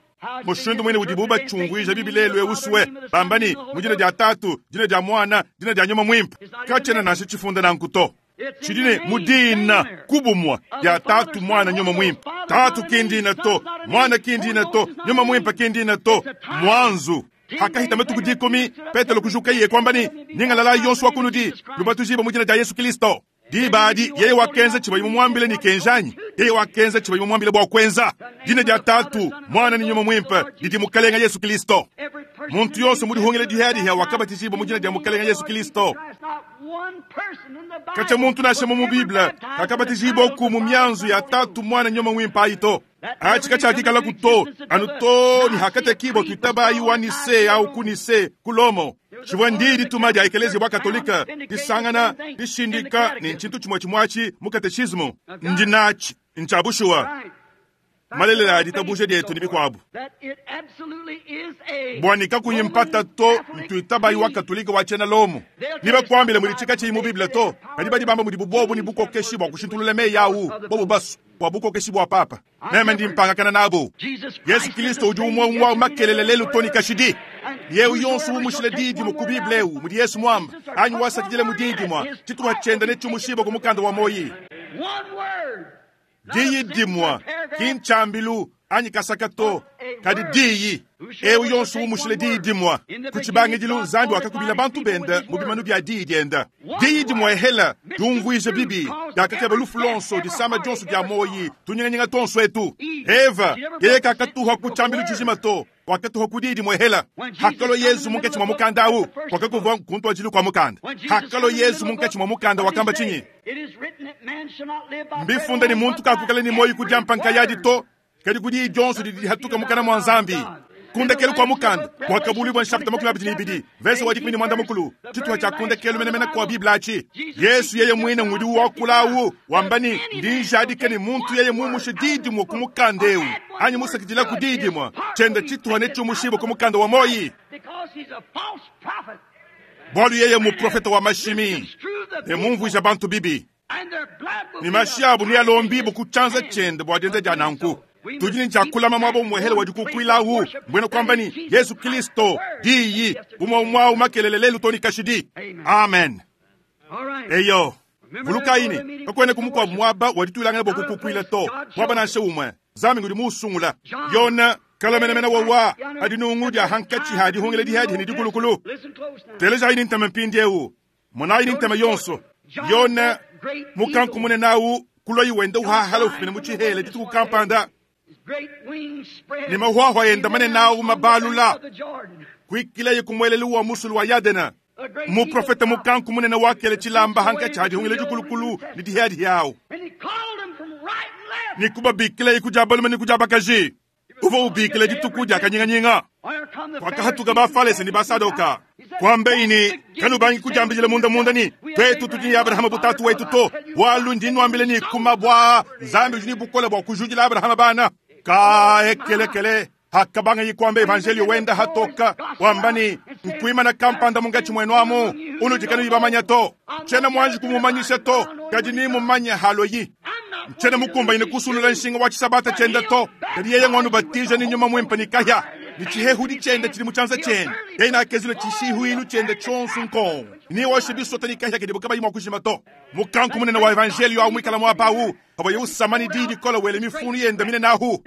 mushindu mwene udi bubachungwija bibilelu ewusuwe bambani mu dina dya tatu dina dya mwana dina dya nyuma mwimpe kachena nashe chifunda nankuto chidine mudina kubumwa dya tatu mwana nyuma mwimpe tatu kindina to mwana kindina to nyuma mwimpe kindina to mwanzu hakahita matuku dikumi petelo kujuka iye kwamba ni ningalala yonso wakunudi lubatujiba mu dina dya Yesu Kristo dibadi yeye wakenza chiba imumwambile ni kenjanyi yeye wakenza chiba imumwambile bwa kwenza dina dya tatu mwana ni nyuma mwimpe didi mukalenga Yesu Kristo muntu yonso mudihungile dihadiha wakabatizibwa mu dina dya mukalenga Yesu Kristo kacha muntu nashe mu Biblia kakabatizibwa ku mu myanzu ya tatu mwana nyuma mwimpe ayito Achi katshiakikala kuto anu to ni hakatekibwa tuitabayi wa Nise au ku Nise ku Lomo. Tshivua ndi dituma dia ekelezia bwa katolika disangana dishindika ni ntshintu tshimue tshimue mu katechismo ndi natshi ntshia bushuwa malelela a ditabuja dietu ni bikuabu bua nikakuyi mpata to ntuitabayi wa katolika wa tshiena Lomo ni bakuambile mudi tshika tshiyi mu Biblia to kadi badi bamba mudi bubobu ni bukokeshi bua kushintulula meyi awu bobu basu bua bukokeshi bua papa meme ndi mpangakana nabo Yesu Kristo udi umwe umwe makelele lelu toni kashidi yewu yonso umushile didi mu kubibla ewu mudi Yesu mwamba anyi wasakidile mu didi mwa tshituha tshienda ne tshimushiba ku mukanda wa moyi diyi dimwa ki ntshambilu anyi kasaka to kadi diyi ewu yonso umushile diyi dimwa ku tshibangidilu Nzambi wakakubila bantu benda mu bimanu bia diyi dienda diyi dimwa ehela diumvuije bibi diakakeba lufu lonso disama dionso dia moyi tunyinganyinga tonso etu Eva yeye kakatuha ku tshambilu tshijima to wakatuha ku diyi dimwe hela hakalo Yesu munkatshi mwa mukanda awu wakakuvua kuntuajilu kwa mukanda hakalo Yesu munkatshi mwa mukanda wakamba tshinyi mbifunda ni muntu kakukala ni moyi kudiampa nkayadi to kadi ku diyi dionso didi dihatuka mukana mwa Nzambi kundekelu kwa mukanda wakabulibwa nshapita makumi abidi ne ibidi verse wa dikumi ne mwanda mukulu tshituha tshia kundekelu menemene kwa Biblia atshi Yesu yeye mwine ngudi wakula awu wamba ni ndi njadika ni muntu yeye mumushe diyi dimwe ku mukanda ewu anyi musakidila ku diyi dimwe tshienda tshituha ne tshiumushiba ku mukanda wa moyi bualu yeye muprofeta wa mashimi ne mumvuija bantu bibi ni mashi abu ni alombibu ku tshianza tshiende bua dienza dia nanku tudi ni tshiakulama mwabo muhele wa dikukuilawu mbwena kwamba ni Yesu Kristo diyi umwe mwawu makelele lelu toni kashidi amen eyo vulukaini kakwene kumukwabu mwaba waditulangana bua kukukuila to mwaba nansha umwe Nzambi ngudi muusungula yona kalamenamena wawa adi nungu dia hankatshi ha dihungile dihadi ni dikulukulu telejayi ni ntema mpindi ewu monayi ni ntema yonso yona mukanku munenawu kuloyi wenda uhahala ufumina mu tshihela dituku kampanda ni mahwahwa yenda manenawu mabalula kuikilaye kumuelelu wa musulu wa Yadena muprofeta mukanku munene wakele tshilamba hankatshi ha dihungile dikulukulu ni dihadi yawu ni kubabikilaye kudia balume ni kudia bakaji uva ubikile dituku dia kanyinganyinga kwakahatuka bafalese ni basadoka kwambeini kanubangi kujambijile munda munda ni twetu tudi Abrahama butatu wetu to walu ndi nwambile ni kuma bwa Nzambi udi ni bukole bua kujudila Abrahama bana kaekelekele hakabanga yikwamba evangelio wenda hatoka wambani nkuimana kampanda mungatshi mwenu amu unudikanu yibamanya to tshena mwanji kumumanyisha to kadi ni mumanya halo yi tshena mukumba ine kusulula nshinga wa tshisabata tshienda to kadi yeye ng'wanu batija ni nyuma mwimpa ni kahya ni tshihehudi tshienda tshili mu tshianza tshiende yeye nakezile tshishihuilu tshienda tshionso nkongo ni washe bisota ni kahya kadi bukabayi mwa kushima to mukanku munene wa evangelio awu mwikala mwapawu abo yeusamani didi dikola wele mifunu yenda mine nahu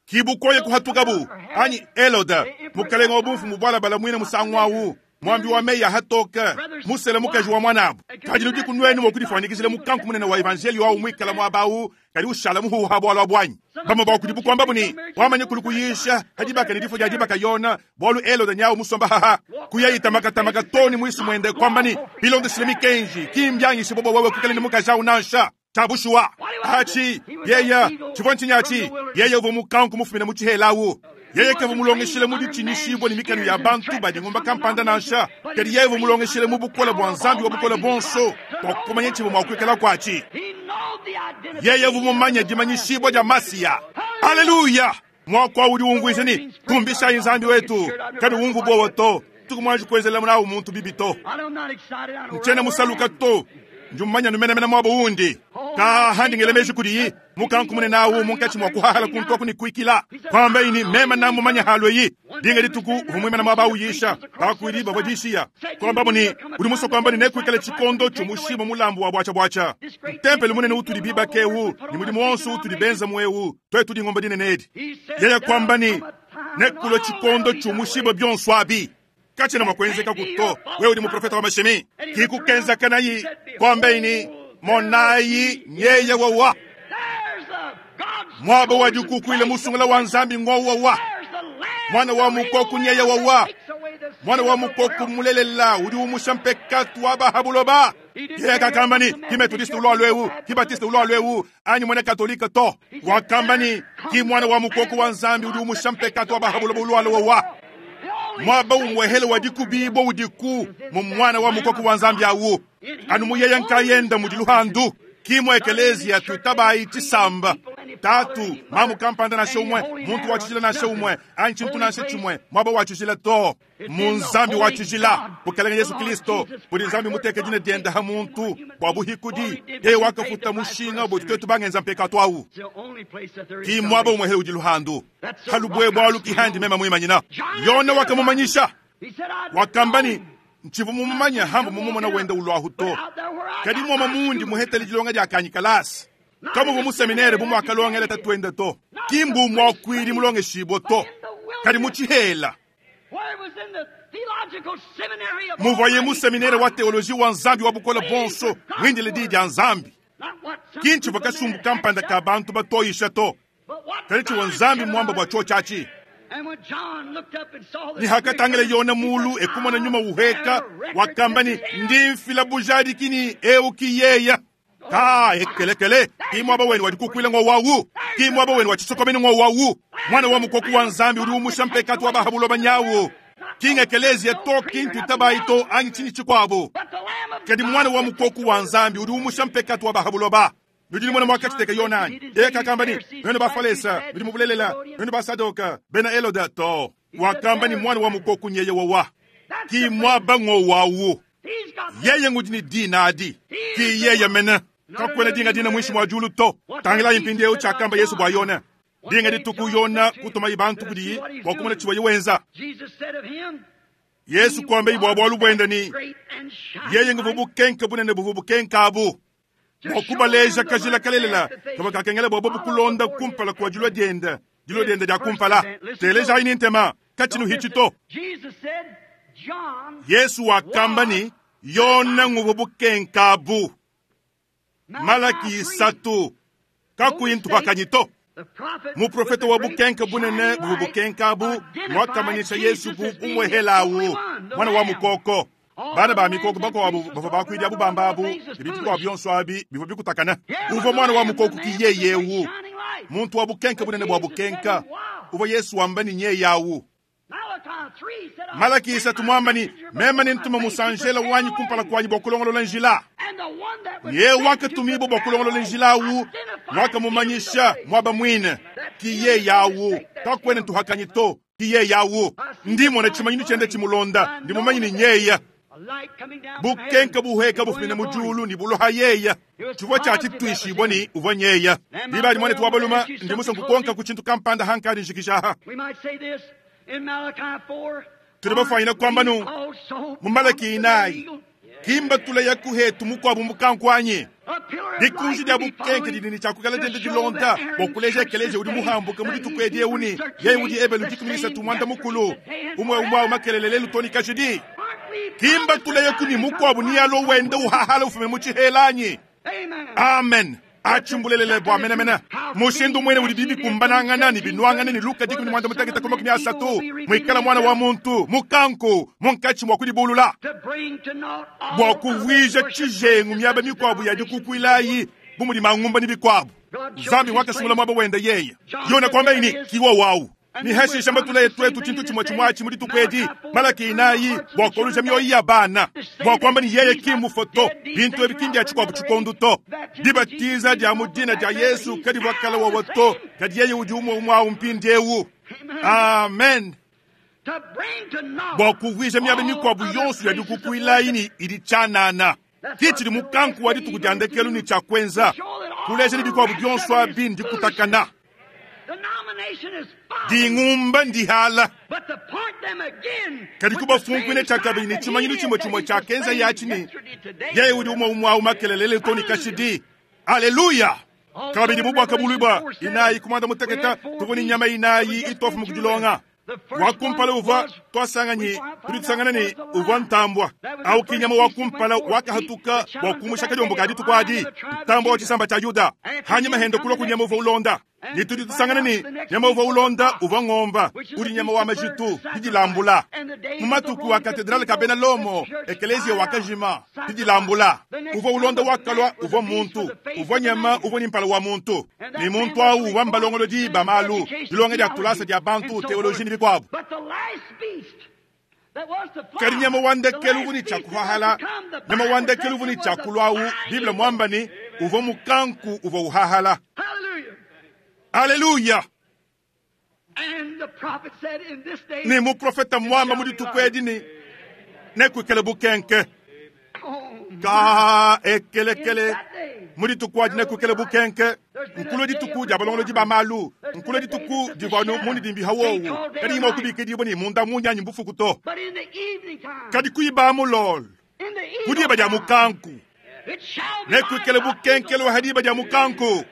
kibukoye kuhatukabu anyi Eloda mukalenga wa bumfumu bwalabala mwine musangu awu mwambi wa meya hatoka musele mukaji wa mwanabu kadi ludi kunwenu mwakudifanikisile mukanku munene wa evangelio awu mwikala mwabawu kadi ushala muhuha bwalwa bwanyi bamwe bakudi bukwamba buni wamanye kuli kuyisha hadibaka ni difo dia dibaka yona bwalu Eloda nyawu musomba haha kuyayitamakamaka toni mwisu mwende kwambani bilondesile mikenji kimbyangishe bobo wewe kukale ni mukaji awu nansha chabushuwa achi yeya tshivua ntshinyi yeye uva mukanku mufumina mu tshihelawu yeye kava mulongeshele mu ditshinyishibwa ni mikanu ya bantu badi ngomba kampanda nansha kadi yeye uva mulongeshele mu bukola bua Nzambi wa bukola bonso bua kumanya tshivua mua kuikala kuatshi yeye uva mumanya dimanyishibwa dia Masiya haleluya mwakwa udi umvuija ni tumbishayi Nzambi wetu kadi umvu bowa to tukumwanji kuenzela munawu muntu bibi to ntshiena musaluka to njumanya numenamena mwabo undi ka handingele meji kudiyi mukanku munene awu munkatshi mwa kuhahala kuntu aku ni kuikila kwamba ini mema namumanya halo yi dinga dituku uvumwimana mwaba awuyisha bakwili bavua dishiya kwamba muni udi muso kwamba ni nekuikala tshikondo tshomushima mulambu wa bwacha ntempelo munene utudi bibaka ewu ni mudimu wonso utudi benza muewu twetu dingomba dinene edi yeye kwamba ni nekulo tshikondo tshomushiba byonso abi kachena mwakwenzeka kuto wewe udi muprofeta wa mashimi kikukenzaka nayi kwamba ini monayi nyeye wawa mwaba wa dikukuile musungula wa Nzambi ng'owawa mwana wa mukoku nyeye wawa mwana wa mukoku mulelela udi umusha mpekatu wa bahabuloba Yeye kakamba ni ki Methodiste ulwa lwewu, ki Baptiste ulwa lwewu, anyi mwene Katolika to. Wakamba ni ki mwana wa mukoko wa Nzambi udi umusha mpekatu wa bahabulo bulwa lwewa. Mwaba umwehele wa dikubibo udiku mu mwana wa mukoko wa Nzambi awu. Anu muyeye nkayenda mudi luhandu. Kimwe ekelezia tutabai tisamba. Tatu, mamu kampanda na shomwe, muntu wa chijila na shomwe, anyi chintu na chimwe, mwaba wa chijila to. Mu Nzambi wa chijila, bukalenge Yesu Kristo, budi Nzambi muteke dina dienda ha muntu, bwa buhikudi, yeye wakafuta mushinga bwe twetu bangenza mpekatu awu. Ki mwaba umwehele udi luhandu. Halubwe bwalu kihandi mema mwimanyina. Yona wakamumanyisha. Wakambani nchivu mumumanya hambu mumumona wenda ulwahu to. Kadi mwama mundi muhetele dilonga dia kanyikalasi. Kamu bu museminere bu mwakalongela tatwenda to. Kimbu mwakwili mulonge shibo to. Kadi muchihela. Muvoye museminere wa teoloji wa Nzambi wa bukola bonso mwindile di dia Nzambi. Kinchi vakasumbu kampanda ka bantu batoyisha to. Kadi chiwa Nzambi mwamba bwa cho chachi. Ni hakatangele yona mulu ekumona nyuma uheka wakambani ndimfila bujadi kini euki yeya. Ka ekelekele ki mwaba wenu wadikukwila ngo wawu ki mwaba wenu wachisokomeni ngo wawu mwana wa mukoku wa Nzambi uri umusha mpekatu wa bahabulo banyawo kinga kelezi ya to kintu tabaito angi chini chikwabo kadi mwana wa mukoku wa Nzambi uri umusha mpekatu wa bahabulo ba nudi mwana mwakachiteka yonani eka kambani beno bafalesa bidi mubulelela beno basadoka bena eloda to wakambani mwana wa mukoku nyeye wawa ki mwaba ngo wawu yeye ngudi ni dinadi ki yeye mena kakwena dinga dina mwishi mwa julu to tangila impindi eu chakamba Yesu bwa yona dinga dituku yona kutuma ibantu kudi wakumona chiwa yewenza Yesu kwambe ibwa bwalu bwenda ni yeye nguvu kenka bunene buvu kenka abu wakubaleja kajila kalelela kaba kakengela bwa bobu kulonda kumpala kwa julwa dienda julwa dienda dia kumpala teleja ini ntema kachinu hichito Yesu wakamba ni yona nguvu kenka abu Malaki isatu kakuyintu hakanyito muprofeta wa bukenka bunene buvu bukenka abu mwakamanyisha Yesu bu umwehelawu mwana wa mukoko bana ba mikoko bako abu bava bakwidi abu bamba abu ibintu kwa byonso abi bivo bikutakana uvo mwana wa mukoko kiyeyewu muntu wa bukenka bunene bwa bukenka uvo Yesu wambani nyeyawu Malaki isatu mwambani mema ni ntuma musanjela wanyi kumpala kwanyi bwa njila ye wakatumibo bwa kulongolola njila awu wakamumanyisha mwaba mwine kiye yawu kakwene ntuhakanyi to kiye yawu ndimona chimanyinu chende chimulonda ndimumanyini nyeya bukenka buheka bufumina mujulu ni buloha yeya chivwa chachitwishibwa ni uvwa nyeya libali mwane tuwabaluma ndimusa nkukonka ku chintu kampanda hankali njikishaha tuli bafanyina kwamba nu mu Malaki inayi kimba tula ya kuhetu mukwabu mukankwanye likunji lya bukenke lilini chakukala tende dilonda bokuleja ekeleje udi muhambuka mudi tukwedi euni yeye udi ebelu dikuminisa tumwanda mukulu umwe umwe makelele lelu toni kashidi kimba tula ya kuni mukwabu niyalo wende uhahala ufume muchihelanyi amen achimbulelele bwa menamena mushindu mwene uli bibi kumbanangana ni binwangana ni luka dikumi mwanda mutaketa kuma kumi asatu mwikala mwana wa muntu mukanku munkachi mwa kulibulula bwa kuvwija chijengu myaba mikwabu ya dikukwilayi bumuli mangumba ni bikwabu Nzambi wakasungula mwaba wenda yeye yona kwamba ini kiwa wawu ni heshi shamba tula twetu chintu chimwe chimwachi muli tukwedi Malaki inayi bwakoluja myoyi ya bana bwakwamba ni yeye kimufoto bintu ebikindi achikwabu chikondu to dibatiza dya mudina dya Yesu kadi bwakala wawato kadi yeye udi umwe umwe mpindi ewu amen bwakuvwisha myabe mikwabu yonso ya dikukwilayini ili chanana kichili mukanku wa dituku dya ndekelu ni chakwenza kuleja ni bikwabu byonso abi ndikutakana dingumba ndihala kadi kubafunkwine chakabili ni chimanyinu chimwe chimwe chakenza yachini yeye udi umwe umwe au makelelele toni kashidi aleluya kabili mubwaka bulibwa inayi kumanda muteketa tuvuni nyama inayi itofu mukujilonga wakumpala uva twasanganyi tudi tusangana ni uva ntambwa au kinyama wakumpala wakahatuka wakumusha kajombo kadi tukwadi ntambwa wa chisamba cha Yuda hanyuma hendo kulwa kunyama uva ulonda Ne tudi tusangana ne nyama uvua ulonda uvua ngomba udi nyama wa majitu didilambula. Mu matuku a katedrale ka bena Lomo, ekeleziya wakajima didilambula. Uvua ulonda wakalua uvua muntu, uvua nyama uvua ni mpala wa muntu. Ne muntu awu uvua mbalongolodi ba malu, dilonga dia tulasa dia bantu, teoloji ne bikuabu. Kadi nyama wa ndekelu uvua ne tshia kuhahala, nyama wa ndekelu uvua ne tshia kulua Bible muamba ne uvua mukanku uvua uhahala. Haleluya! Ne muprofeta muamba mu dituku edi ne nekuikale bukenke. Ka ekelekele mu dituku adi nekuikale bukenke. Nkulu dituku dia balongolodi ba malu, nkulu dituku divua mundidimbi hawowu, kadi imwe kubikidibwa ne munda munyanyi mbufuku to. Kadi kuiba mulolo, kudiba dia mukanku. Nekuikale bukenkele wa hadiba dia mukanku.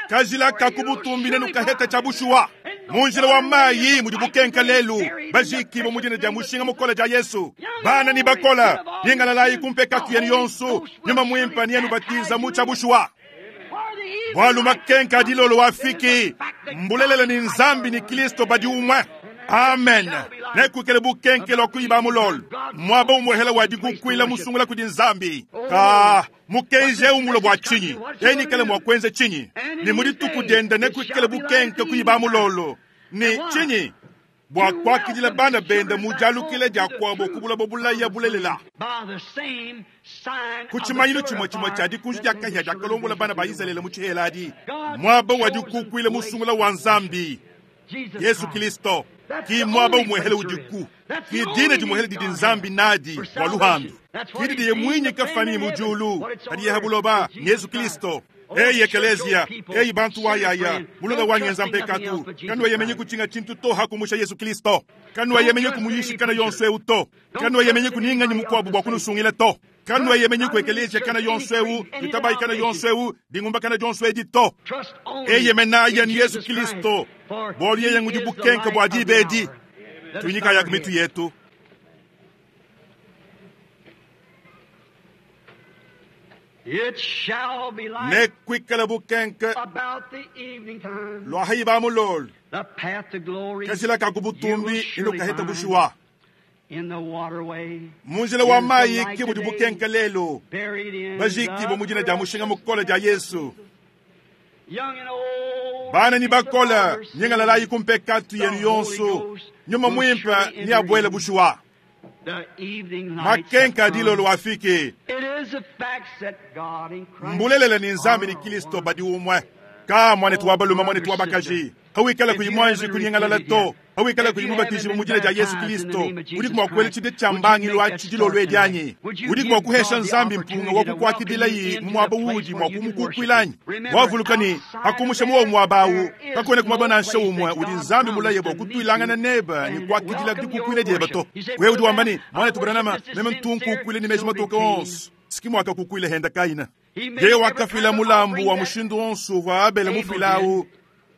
Kajila kakubutumbi nenu kaheta cha bushuwa. Munjila wa mayi mudi bukenka lelu, bajiki bo mudina dia mushinga mukola dia Yesu. Bana ni bakola, ningalalayi kumpeka yenu yonso, nyuma mwimpa ni yenu batiza mu cha bushuwa. Bwalu makenka dilolo wafiki, mbulelele ni nzambi ni Kristo badi umwe. Amen. Nekuikale bukenke lwa kuiba mulolo. Mwaba umwehela wa dikukwila musungula kudi nzambi. Ka mukenje umulo bwa chinyi. Enikale mwa kwenze chinyi. Ni mudituku denda nekuikale bukenke kuiba mulolo. Ni chinyi bwa kwakidila bana benda mujalukile dia kwabo kubula bobulaya bulelela. Kuchimanyilo chimwe chimwe cha dikunji dia kahya dia kalongola bana ba Israele mu chiheladi. Mwaba wa dikukwila musungula wa nzambi. Yesu Kristo. Ki mwaba umwehele udiku. Ki dina dimuhele didi nzambi nadi wa luhandu. Ki didi ye mwinyi kafani mujulu. Kadi yehabuloba Yesu Kristo. Eyi ekelezia, eyi bantu wa yaya, mulonga wa nyenza mpekatu. Kanwa yemenye kuchinga chintu to hakumusha Yesu Kristo. Kanwa yemenye kumuyishikana yonso eu to. Kanwa yemenye kuninganyi mukwabu bwa kunusungila to. Kanwa yemenye ku ekelezia kana yonso eu, litabai kana yonso eu, dingumba kana yonso edi to. Eye menaya ni Yesu Kristo. Boli yeye ngudi bukenke bwa dibedi. Tuinyika ya mitu yetu. It shall be light Nekuikale bukenke about the evening time. lwa haiba mulolo. The path to glory Kajila ka you will kubutumbi surely ino kaheta find bushuwa. in the waterway. Munjila wa mayi ki budi bukenke lelo. Buried in Bajiki bo mudina dia mushinga mukola dia Yesu. Young and old, Bana ni bakola the nyingalalayi kumpekatu yenu yonso. Nyuma mwimpa ni abwele bushuwa. The evening light Makenka has come. dilolo wafiki. It is a fact that God in Christ Mbulelele ni nzambi ni are Kristo one. badi umwe. Ka mwane tuwabaluma mwane tuwabakaji. Hawikala kuyimwanji kunyengalala to. Hawikala kuyimubatizi mu mujina dia Yesu Kristo. Udi kumwa kwele chide chambangi lwa chidilo lwedyanyi. Udi kumwa kuhesha nzambi mpunga wa kukwakidila yi mu mwaba wudi mwa kumukukwilanyi. Wavulukani akumusha muwo mwabawu. Kakone kumwaba nansha umwe udi nzambi mulaye bwa kutwilangana neba ni kwakidila dikukwile dyeba to. Wewe udi wambani mwane tuburanama meme ntunkukwile ni meji matoka onso. Sikimu akakukwile henda kaina. Yeye wakafila mulambu wa mushindu onso wa Abele mufilawu.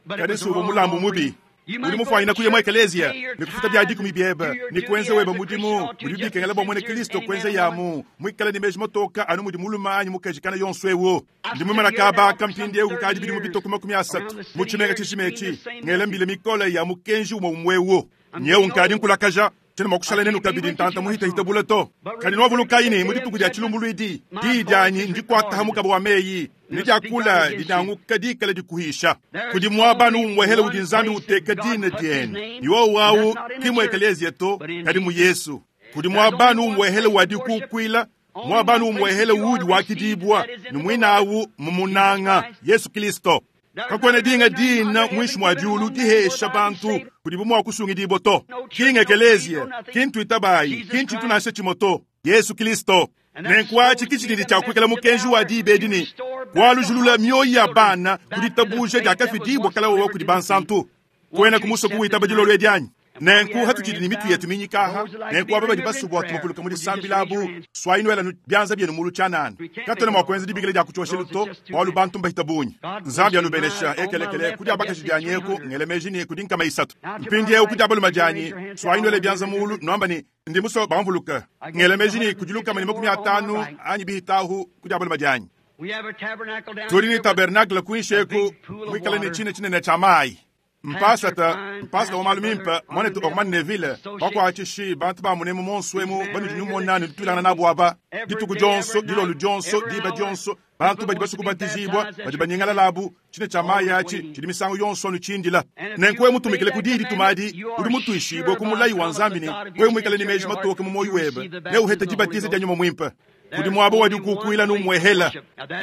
But it Kadi was suva wrong mulambu offering. mubi. You Udi might go mufwayina to kuye mwa church, ekelezia pay your ni kufuta bya dikumi tithes, byeba do your ni duty kwenza as weba a mudimu Christian ought to, udi just bikengela as bwa mwene sincere as Kristo any kwenza man or woman. yamu mwikala ni meji motoka anu mudi muluma anyi mukajikana yonso ewo I've ndi mwimana stood here now kabaka for mpindi some ewu kukadi thirty bidimu years bitoko makumi asatu around the city mu chimenga here, chishimechi screaming the same ngela message. mbile mikole ya mukenji umwe umwewo I'm nyewu getting nkadi old. nkulakaja tshena mwakushala nenu I can't be kabidi with ntanta you muhita much hita bula to But kadi nwavulukayi remember mu the dituku dia day of chilumbulwidi my diyi dyanyi voice is ndikwata recorded. mukaba wa meyi ni diakula dinanguka dikala dikuhisha There's kudi mwabanu only umwehele one udi nzambi place uteka that God dina puts his dienu name, iwo wawu and that's not in the kimwe church, ekelezia to but in kadi mu Jesus. Yesu kudi There's mwabanu only one umwehele place wa of worship, dikukwila only mwabanu one place umwehele that you udi are wakidibwa received, that is in ni the mwinawu mumunanga Jesus Christ. Yesu Kristo There's kakwene no dinga other name dina under heaven mwishi mwa given diulu among men dihesha whereby we bantu save. kudi bumwa kusungidibwa to No church, kinga no ekelezia creed, no nothing. kintu itabayi Jesus kintu Christ. tunashe chimoto Yesu Kristo And that's nenkwaki supposed to be kichididi the chakwikala message of the mukenji wa hour. dibedi ni Restore back the kwalujulula hearts of mioyo ya children bana back to the kuditabuje faith that was dyakafidibwa once kala wowa delivered kudi to the bansantu saints. kwena Won't you kumuso accept it kuwitaba tonight? dilolo edyanyi And while we nenku have our hatutshidi ni heads mitu yetu bowed, minyikaha those that like to nenku be aba badi remembered in basubwa prayer, tumapuluka muli would you just raise your sambilabu hands? swayinwela byanza byenu mulu chanani We can't katona make it all. mwakuenza dibikile dya kuchosha Those luto are just too walu many. bantu mbahita bunyi God bless nzambi you. anubenesha My, on my ekelekele left, kudi I guess abakaji it's dyanyeku three hundred. ngelemeji ni kudi nkama isatu Now to my mpindi eu right, kudi abaluma would you raise dyanyi your hands? Say, I swayinwela want to be byanza mulu remembered. nwamba ni ndi muso bamvuluka I guess it's ngelemeji ni one hundred kudi lukama fifty ni makumi more on my atanu right. anyi bihitahu kudi abaluma dyanyi Tudi ne tabernacle kuinshi eku muikale ne tshina tshinene tshia mayi. Mpasata, mpasata wa malu mimpe, mwanetu Orman Neville, bakuatshishi bantu ba munemu monso emu banudi numona ne tutuilangana nabo aba. Dituku dionso, dilolo dionso, diba dionso, bantu badi basukubatizibwa, badi banyingala labu, tshina tshia mayi atshi tshidi misangu yonso anu tshindila. Nenku wewe mutumikile ku diyi dituma adi, udi mutuishibue ku mulayi wa Nzambi ne wewe muikale ne meji matoke mu moyo webe, neuhete dibatiza dia Nyuma Mwimpe. Kudi mwabo wadi kukuila numwehela.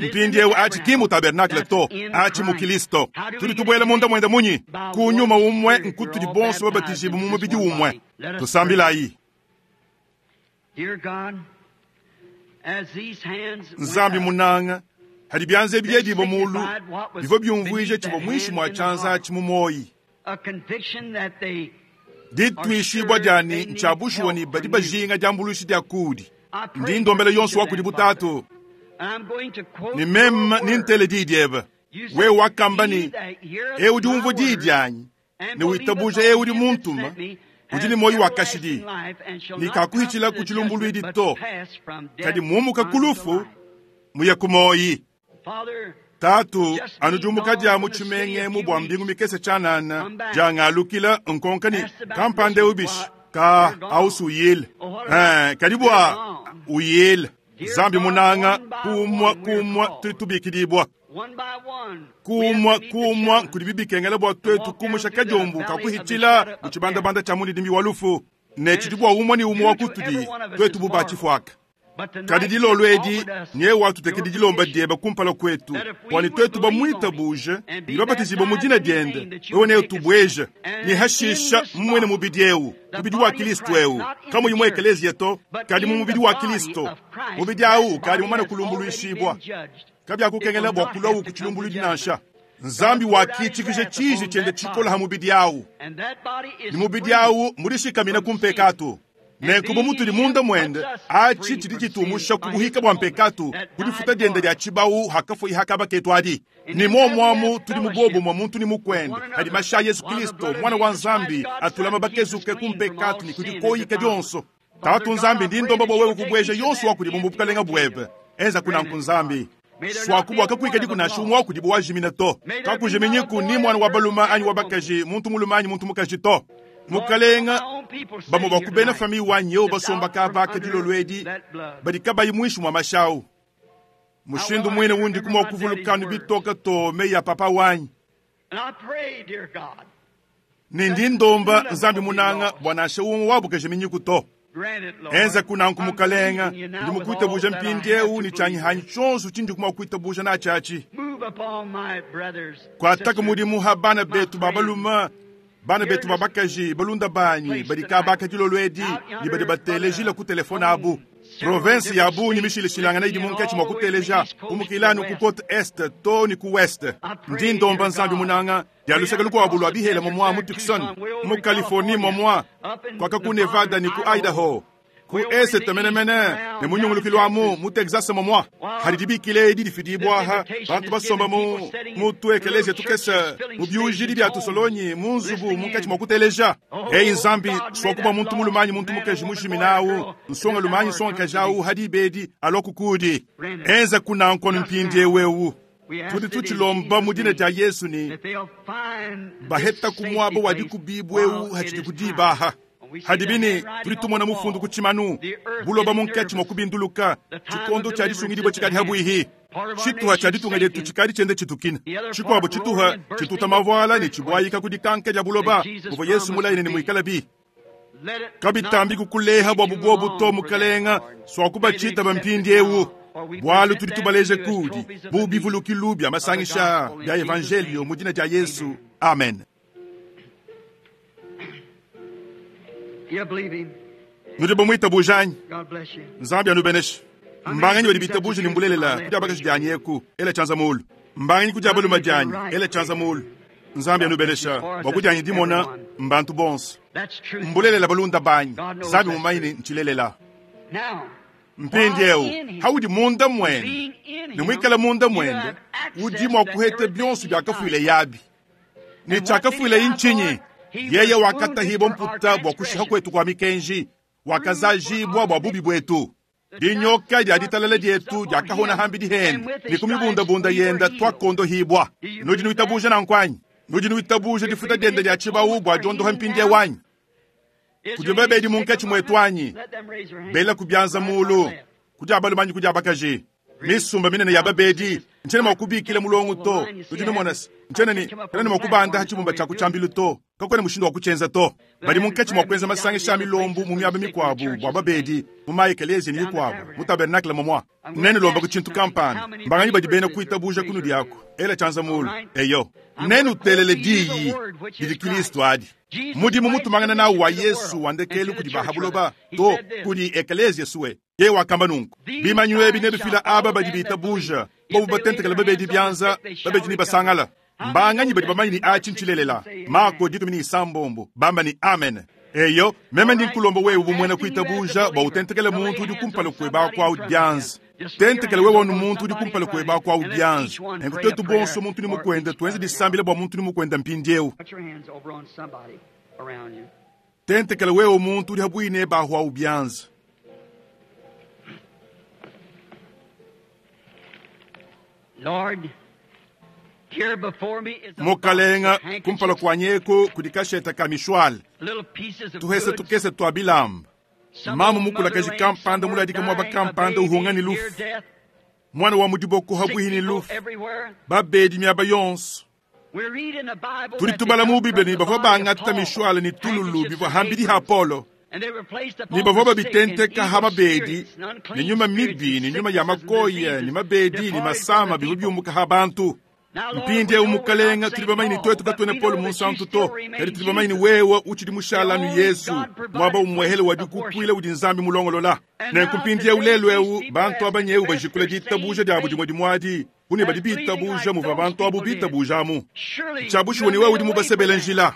Mpindiewu achi ki mu tabernacle to, achi mu Kristo. Tudi tubuela munda mwenda munyi? Ku nyuma umwe nkutudi bonso babatizibu mu mubidi umwe. Tusambilayi. Nzambi munanga, hadi byanze byedibo mulu, bivyo byumvwije chibo mwishi mwa chanza achi mu moyi. Ditwishibwa dyani nchabushuwa ni badi bajinga dyambulushi dya kudi. Ndi ndombela yonso wa kudi butatu. Ni meme ni ntele di diebe. We wakamba ni e udi umvua di dyanyi ne witabuja e udi muntuma udi ne moyo wa kashidi ni kakuhichila ku chilumbuluidi to kadi mumuka kulufu muya ku moyi. Tatu anujumuka dia mu tshimenge mu bwa mbingu mikese tshanana jangalukila nkonkani kampande ubishi ka ausu uyile eh kadi bwa uyile. Zambi munanga kumwa kumwa tutubikidibwa kumwa kumwa kudi bibikengela bwa twetu kumusha kajombu kakuhichila muchibandabanda cha mundidimbi wa lufu ne chidibwa umwe ni umwe wa kutudi twetu bubachifwaka. Kadi dilolo edi nye watu tekedi dilomba dieba kumpala kwetu kwani twetu bamwita buje ni babatizibwa mu dina diende wewe ne utubweje ni hashisha mwene mubidi eu mubidi wa Kristo eu kama yimwe eklezia to kadi mu mubidi wa Kristo mubidi au kadi mumana kulumbuluishibwa kabya kukengela bwa kulwa ku dinansha. Nzambi wakichikije chiji chende chikola ha mubidi au ni mubidi au mulishikamina kumpekatu. Nenkuba mutuli munda mwende achi chidi chitumusha kubuhika bwa mpekatu kudifuta diende lya chibau hakafu ihakaba ketu adi. Ni momwamu tuli mubobo mwa muntu ni mukwende hadi masha Yesu Kristo mwana wa Nzambi atulama bakezuke kumpekatu ni kudikoyika dyonso. Tatu Nzambi ndi ndomba bwa wewe kubweja yonso wakudi mumbukalenga bwebe enza kuna nkunzambi swakubwa kakuika dikuna shumwa wakudi bwajimina to kakujiminyiku ni mwana wa baluma anyi wa bakaji muntu muluma anyi muntu mukaji to. Mukalenga bamo bakubena fami wanyi basomba kabaka dilolwedi badi kabayi mwishi mwa mashau. Mushindu mwene wundi kumwa kuvulukanu bitoka to meya papa wanyi. Nindi ndomba Nzambi munanga bwana shaumu wabukeje to. Enza kuna nkumukalenga ndi mukuita buja mpindiewu ni chanyi hanyi chonso chindi kumwa kuita buja na chachi. Kwataka mudimu ha bana betu babaluma bana betu babakaji balunda banyi badi kabaka dilolwedi ni badi batelejila ku telefone abu. Province ya Bunyi mishilishilangana idi munkachi mwa kuteleja umukilanu ku côte est to ni ku west. Ndi ndomba Nzambi munanga ya lusaka luko abulwa bihela momwa mu Tucson mu Californie momwa kwaka ku Nevada ni ku Idaho ku est menemene ne munyungulukilwa mu mu Texas momwa halidibikile idi difidibwa ha bantu basomba mu mu tuekeleze tukese mu byujidi bya tusolonyi mu nzubu munkachi mwa kuteleja. Hey Nzambi swakuba muntu mulumanyi muntu mukaji mujiminawu nsonga lumanyi songa kajawu hadibedi alokukudi enza kuna nkono mpindie wewu. Tudi tuchilomba mudina ja Yesu ni baheta kumwabo wadikubibwewu hachidikudibaha. Hadibini tulitumona mufundu kuchimanu buloba munkachi mwakubinduluka chikondo cha disungidibwa chikali habwihi chituha cha ditunga lyetu chikali chende chitukina chikwabo chituha chituta mavwala ni chibwayika kudikanka lya buloba muvo Yesu mulaine ni mwikala bi kabitambi kukuleha bwa bubwobu to mukalenga swakuba chita bampindi ewu bwalu tudi tubaleje kudi bubivulukilu bya masangisha bya evangelio mudina ja Yesu. Amen. Nudi bamwita bujanyi. Nzambi anubeneshe. Mbanganyi badi bitabuje ni mbulelela kudi abakaji dyanyi eku ela chanza mulu. Mbanganyi kudi abaluma dyanyi ela chanza mulu. Nzambi anubenesha bakudyanyi dimona mbantu bonso. Mbulelela balunda banyi. Nzambi mumanyi nchilelela. Mpindi eu haudi munda mwende ni mwikala munda mwende udi mwa kuhete byonso byakafuile yabi. Ni chakafuile inchinyi. Yeye wakatahibo mputa bwa kushiha kwetu kwa mikenji wakazajibwa bwa bubi bwetu. Dinyoka dia ditalala dietu diakahona hambidi hende ne ku mibundabunda yenda twakondohibwa. Nudi nuitabuja nanku anyi? Nudi nuitabuja difuta diende dia tshibawu bua diondoha mpindiewu anyi? Kudi babedi munkatshi muetu anyi? Bela ku bianza mulu, kudi abalume anyi kudi abakaji? Misumba minene ya babedi ntshiena mua kubikila mulongo to. Nudi numona se ntshiena ne tshiena ne mua kubanda ha tshibumba tshia ku tshiambilu to. Kakuena mushindu wa kutshienza to. Badi munkatshi mua kuenza masangisha a milombu mu miaba mikuabu bua babedi mu maekeleziya ne mikuabu mu tabernakle momua. Nenulomba ku tshintu kampanda. Mbanganyi badi bena kuitabuja kunudi aku? Ela tshianza mulu. Eyo. Nenutelele diyi didi Kristo adi. Mudimu mutumangana nawu wa Yesu wa ndekelu kudi bahabuloba to kudi ekeleziya suwe. Yeye wakamba nunku, bimanyu ebi nebifila aba badi bitabuja, bobu batentekela babedi bianza, babedi ne basangala. Mbanganyi badi bamanyi ni atshi ntshilelela. Marko dikumi ne isambombo, bamba ni amen. Eyo, meme ndi nkulomba wewe bu muena kuitabuja bua utentekele muntu udi kumpala kueba kwa bianza. Tentekele wewe wanu muntu udi kumpala kueba kwa bianza. Nenku twetu bonso muntu ni mukwenda tuenze disambila bua muntu ni mukwenda mpindiewu. Put your hands over on somebody around you. Tentekele wewe muntu udi habwine bahwa ubianza. Lord, here before me is a Mukalenga box of handkerchiefs, kumpala kwa nyeko kudi kasheta ka mishwale. little pieces of Tuhese goods. tukese twa bilamba. Some Mamu old mukula mother kaji laying kampanda somewhere muladika mwaba dying, a kampanda baby uhunga ni near lufu. death, Mwana wa mudiboko sick habwihi ni people lufu. everywhere. Babedi miaba yonso. We read in the Bible Tudi that they tubala mu took Biblia from ni the bavua body of bangata Paul mishwale ni tululu handkerchiefs bivua and hambidi ha aprons, Polo. and they were placed upon Ni bavua the sick and babitenteka evil ha mabedi spirits and unclean ni nyuma spirits mibi and ni nyuma ya sicknesses and makoya diseases ni mabedi ni departed from masama the bivua people. byumuka ha bantu. Now, Lord, Mpindi we eu know we're not mukalenga Saint tuli bamanyi Paul, twetu but katwene we Paul know that you munsantu still to. remain Kadi tuli bamanyi Jesus. wewe uchidi mushala The nu only Yesu. God-provided Mwaba umwehele wa place of dikukwila worship. udi nzambi mulongolola. And Nenku now mpindi eu today lelu these eu people bantu have abanyeu confessed bajikula their ditabuja same diabo faith dimwe dimwadi. Kune badi as believing bitabuja like muva those bantu abo people did. bitabujamu. Surely you Tshabushiwe have ni wewe made udi a way for mubasebele them. njila.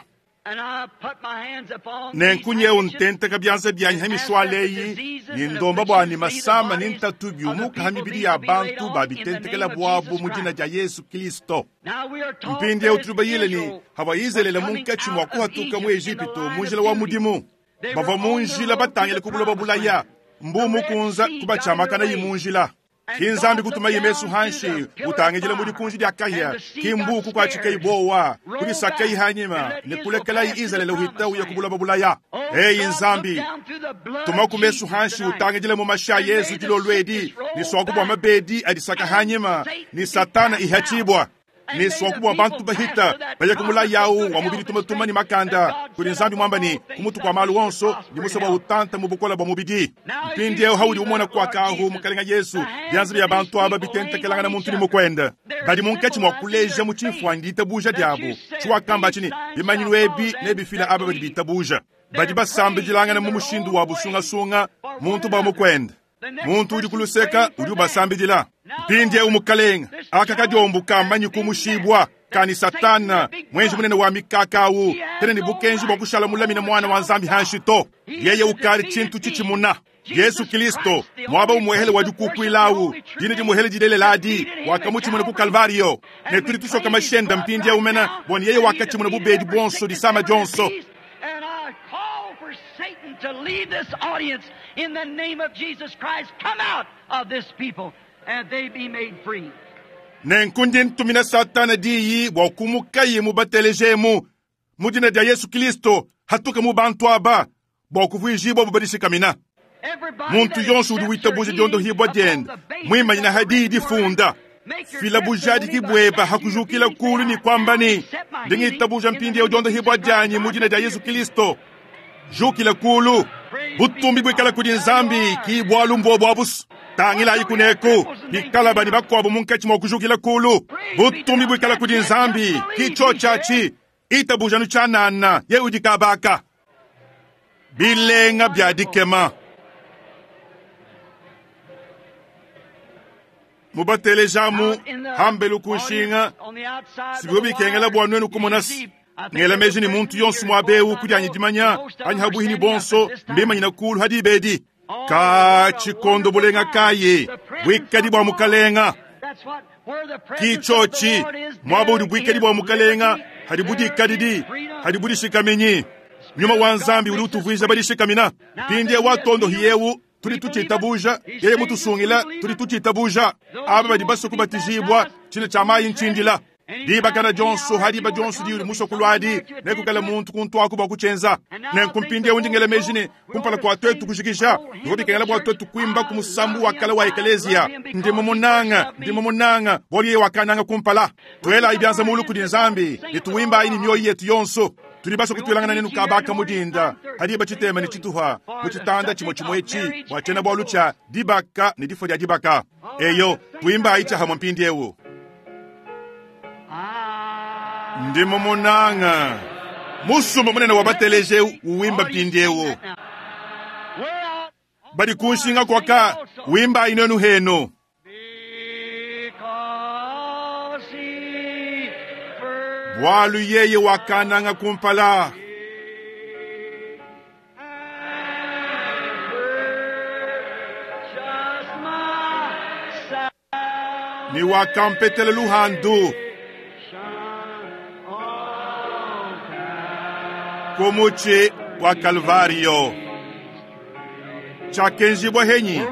And I put my hands upon these Nenku nyeu handkerchiefs ntenteka byanza byanyi and ha ask that mishwala the eyi diseases ni and ndomba bwa ni afflictions leave the masama ni bodies ntatu of the byumuka ha people mibiri these ya to be laid bantu on in the babitentekela name of bwabo Jesus mu dina Christ. dia Yesu Kristo. Now we are taught Mpindi eu that tuli bayile ni Israel hava was Israele coming munkatshi mua out of kuhatuka mu Egypt in the Egipito line mu of njila wa duty. mudimu. They were Bava mu on the njila road to batangile the ku buloba promised bulaya. land. The Mbumu Red kunza Sea got in kubatshamakana their yi mu way. njila. And Ki God nzambi looked kutuma yemesu down hanshi through the pillar of utangijila muri fire, kunji dia and kahia the sea ki got mbuku kwa chika scared, ibowa rolled kulisaka back, ihanyima and let ne Israel kulekela pass to the Israele uhita promised uya land. kubulaba bulaya. Oh, Hey God, look nzambi down through the blood tuma of ku mesu Jesus hanshi tonight, utangijile mu masha and Yesu may the dilolwedi sickness roll ni swaku bwa back, mabedi adisaka and hanyima Satan ni be satana cast out. ihachibwa And ni may swaku the bwa bantu people pass bahita to that baya promise kumula of yawu good wa mubili health tuma and tuma ni strength that makanda God kuli said nzambi above mwamba all ni things kumutu thou kwa malu shalt wonso prosper ni in musaba health. utanta mu bukola bwa mubidi. Now as Mpindi you eu haudi see umona that, kwa Lord kahu Jesus, mukalenga Yesu the hands byanza bya of these bantu aba people laying bitentekelanga on na each muntu ni other, mukwenda. they're Badi munkatshi mwa symbolizing kuleja their mu faith tshimfuanyi ditabuja that you diabo. said Tshiwakamba these tshini signs bimanyinu shall follow ebi them nebifila that aba badi believe. bitabuja. Badi They're praying basambijilangana in mu their mushindu own wa way busungasunga for one muntu bwa another. mukwenda. The next Muntu udi person's kuluseka praying for udi them. ubasambijila. Now, Mpindi eu Lord, mukalenga this aka challenge kadiombuka has manyi been met kumushibwa that kani Satan, satana the big mwenji bluff, munene wa mikakawu he has tene ni no bukenji bwa right kushala to mulamina hold a mwana wa child of nzambi God. hanshi to. He is Yeye a ukali defeated tshintu being. tshitshimuna. Yesu Jesus Kristo Christ, the mwaba only umuhele place wa of worship, the dikukwila only true dine name, dimuhele dileleladi defeated him at wakamuchimuna ku Calvary. Kalvario ne And we tuli tusoka claim his mashenda blood mpindi right umena now bwani yeye that he wakachimuna defeated bubedi every bwonso sickness, disama every jonso. disease. And I call for Satan to leave this audience in the name of Jesus Christ. Come out of this people and they be made free. Nenku ndi ntumina satana diyi bua kumukayi mu batelejemu mu dina dia Yesu Kristo hatuka mu bantu aba bua kuvuijibwa bubadishikamina. Everybody Muntu that yonso udi accepts witabuja your healing dyondohibwa upon diende the basis mwimanyina of the hadiyi written word, difunda make your fila bujadiki testimony by bweba standing to your hakujukila feet and say, kulu ni I kwamba now ni accept my healing ndingitabuja in the mpindi name of dyondohibwa Jesus Christ. dyanyi mu I dina dia believe Yesu it. Kristo jukila kulu Praise be butumbi to bwikala God. kudi There you nzambi are. ki bwalu mbwo bwa busu tangila What do we have ikuneku cripples and things bikala bani tonight? bakwabo munkatshi mwa kujukila kulu Praise be to butumbi God. bwikala That's kudi it. Just nzambi believe, ki he cho said. chachi itabujanu tshanana ye udi kabaka bilenga bya Wonderful. dikema mubatelejamu Out in the hambelu audience, kunshinga on the outside by sibwo the bikengela wire, bwa nwenu you should kumona see. I think ngela every meji ni muntu person yonso here, as far mwabewu as I kudyanya know, dimanya most of anyi them are habuhini standing up at bonso this time. mbimanyina kulu hadibedi Oh, ka what a chikondo wonderful bulenga time. kaye The presence bwikadi of bwa the Lord. mukalenga That's what, where the presence of the kichochi Lord is, mwaba udi there bwikadi is bwa mukalenga liberty, hadi there is budikadidi freedom. hadi budishikamenyi nyuma Spirit wa of God nzambi udi makes us utuvuija free. badishikamina Now pindi that He has watondo healed hiyewu Tudi tuchitabuja yeye mutusungila, tudi tuchitabuja. Aba badi basue kubatijibwa tshine tshia mayi ntshindila dibakana dionso hadiba dionso dili musoko lwadi nekukala muntu kuntwaku bua kutshenza. Nenku mpindieu ndingela meji ne kumpala kua twetu kujikija bivua bikengela bua twetu kuimba ku musambu wa kale wa ekeleziya. Ndi mumunanga, ndi mumunanga, bualu yeye wakananga kumpala. Tuelayi bianza mulu kudi Nzambi ne tuwimbayi ne mioyo yetu yonso. Tudi basue kutuelangana nenu kabaka mudinda hadiba tshitema ne tshituha mu tshitanda tshimue tshimue etshi bua tshiena bualu tshia dibaka ne difua dia dibaka. Eyo tuimbayi tshiahamue mpindieu. Ndi mumunanga musumba munene wa bateleje uwimba mpindieu badi kunshinga kwaka wimbayi nenu henu. Bualu yeye wakananga kumpala. Ni wakampetela luhandu. Kumuchi wa Kalvario. Chakenjibwa henyi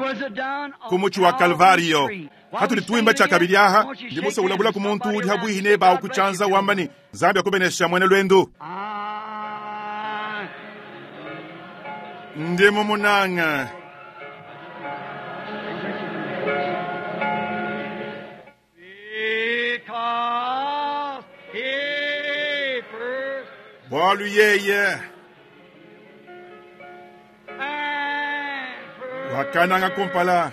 kumuchi wa Kalvario. Hatuli tuimba chakabili aha ndi musa ulabula ku muntu udi habwihi ne bawo kuchanza wambani Nzambi akubenesha mwene lwendu. Ndi mumunanga. Bualu yeye wakananga kumpala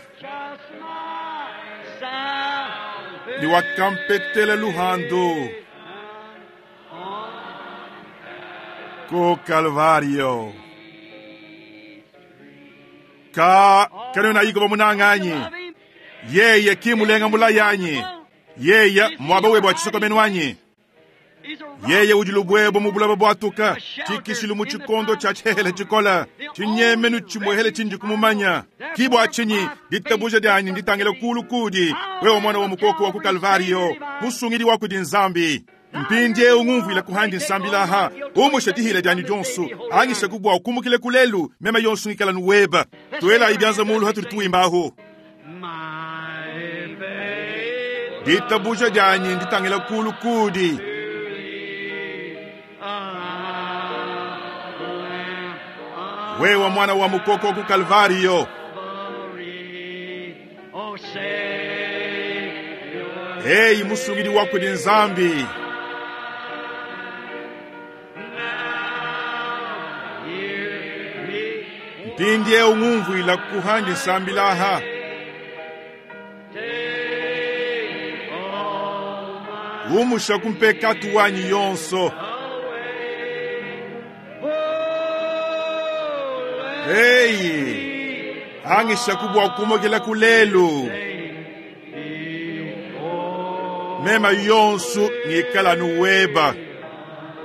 ni wakampetela luhandu ku Kalvario. Ka kanona yiko bamunanganyi yeye kimulenga mulayanyi yeye mwaba webo achisokomenu wanyi yeye udi lubwebo mubulaba bwatuka chikishilu mu chikondo cha chihele chikola chinyemenu chimwehele chinji kumumanya kibwa chinyi ditabuja dyanyi nditangile kulu kudi wewe mwana wa mukoko wa ku Kalvario musungidi wa kudi Nzambi. Mpindie ungumvwila kuhandi nsambilaha umushe dihile dyanyi dyonso angishe kubwa ukumukile kulelu mema yonso ngikala nuweba twela ibyanza mulu hatuli tuimbaho. Ditabuja dyanyi nditangile kulu kudi wewe mwana wa mukoko ku Kalvario. Hey musungidi wa kudi Nzambi. Mpindie ungumvwila kuhandi nsambilaha umusha kumpekatu wanyi yonso. Hey, angisha kubwa kumogela kulelu mema yonso ngikala nuweba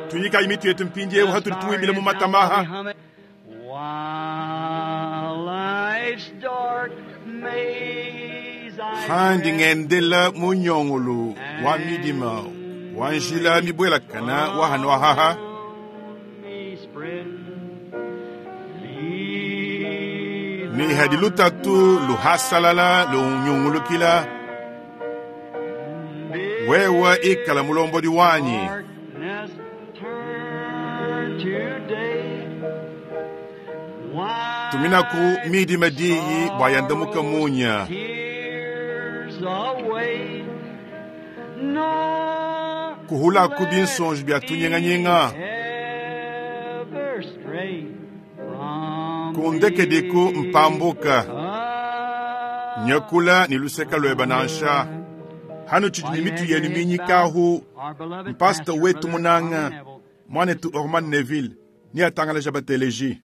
tunyika imitu yetu mpindie hatuli tuimbile mu matamaha. Handi ngendela munyongolo wa midima wa njila mibwelakana wa hano ahaha ni hadi lutatu luhasalala lunyungulukila wewe ikala mulombodi wanyi. Tuminaku midima diyi bwa yandamuka munya kuhulaku binsonji bya tunyenganyenga kundekediku mpambuka nyakula ni luseka lweba nansha hano tshidi ni mitu yenu minyikahu mpasta wetu munanga mwanetu Orman Neville ni atangalaja bateleji.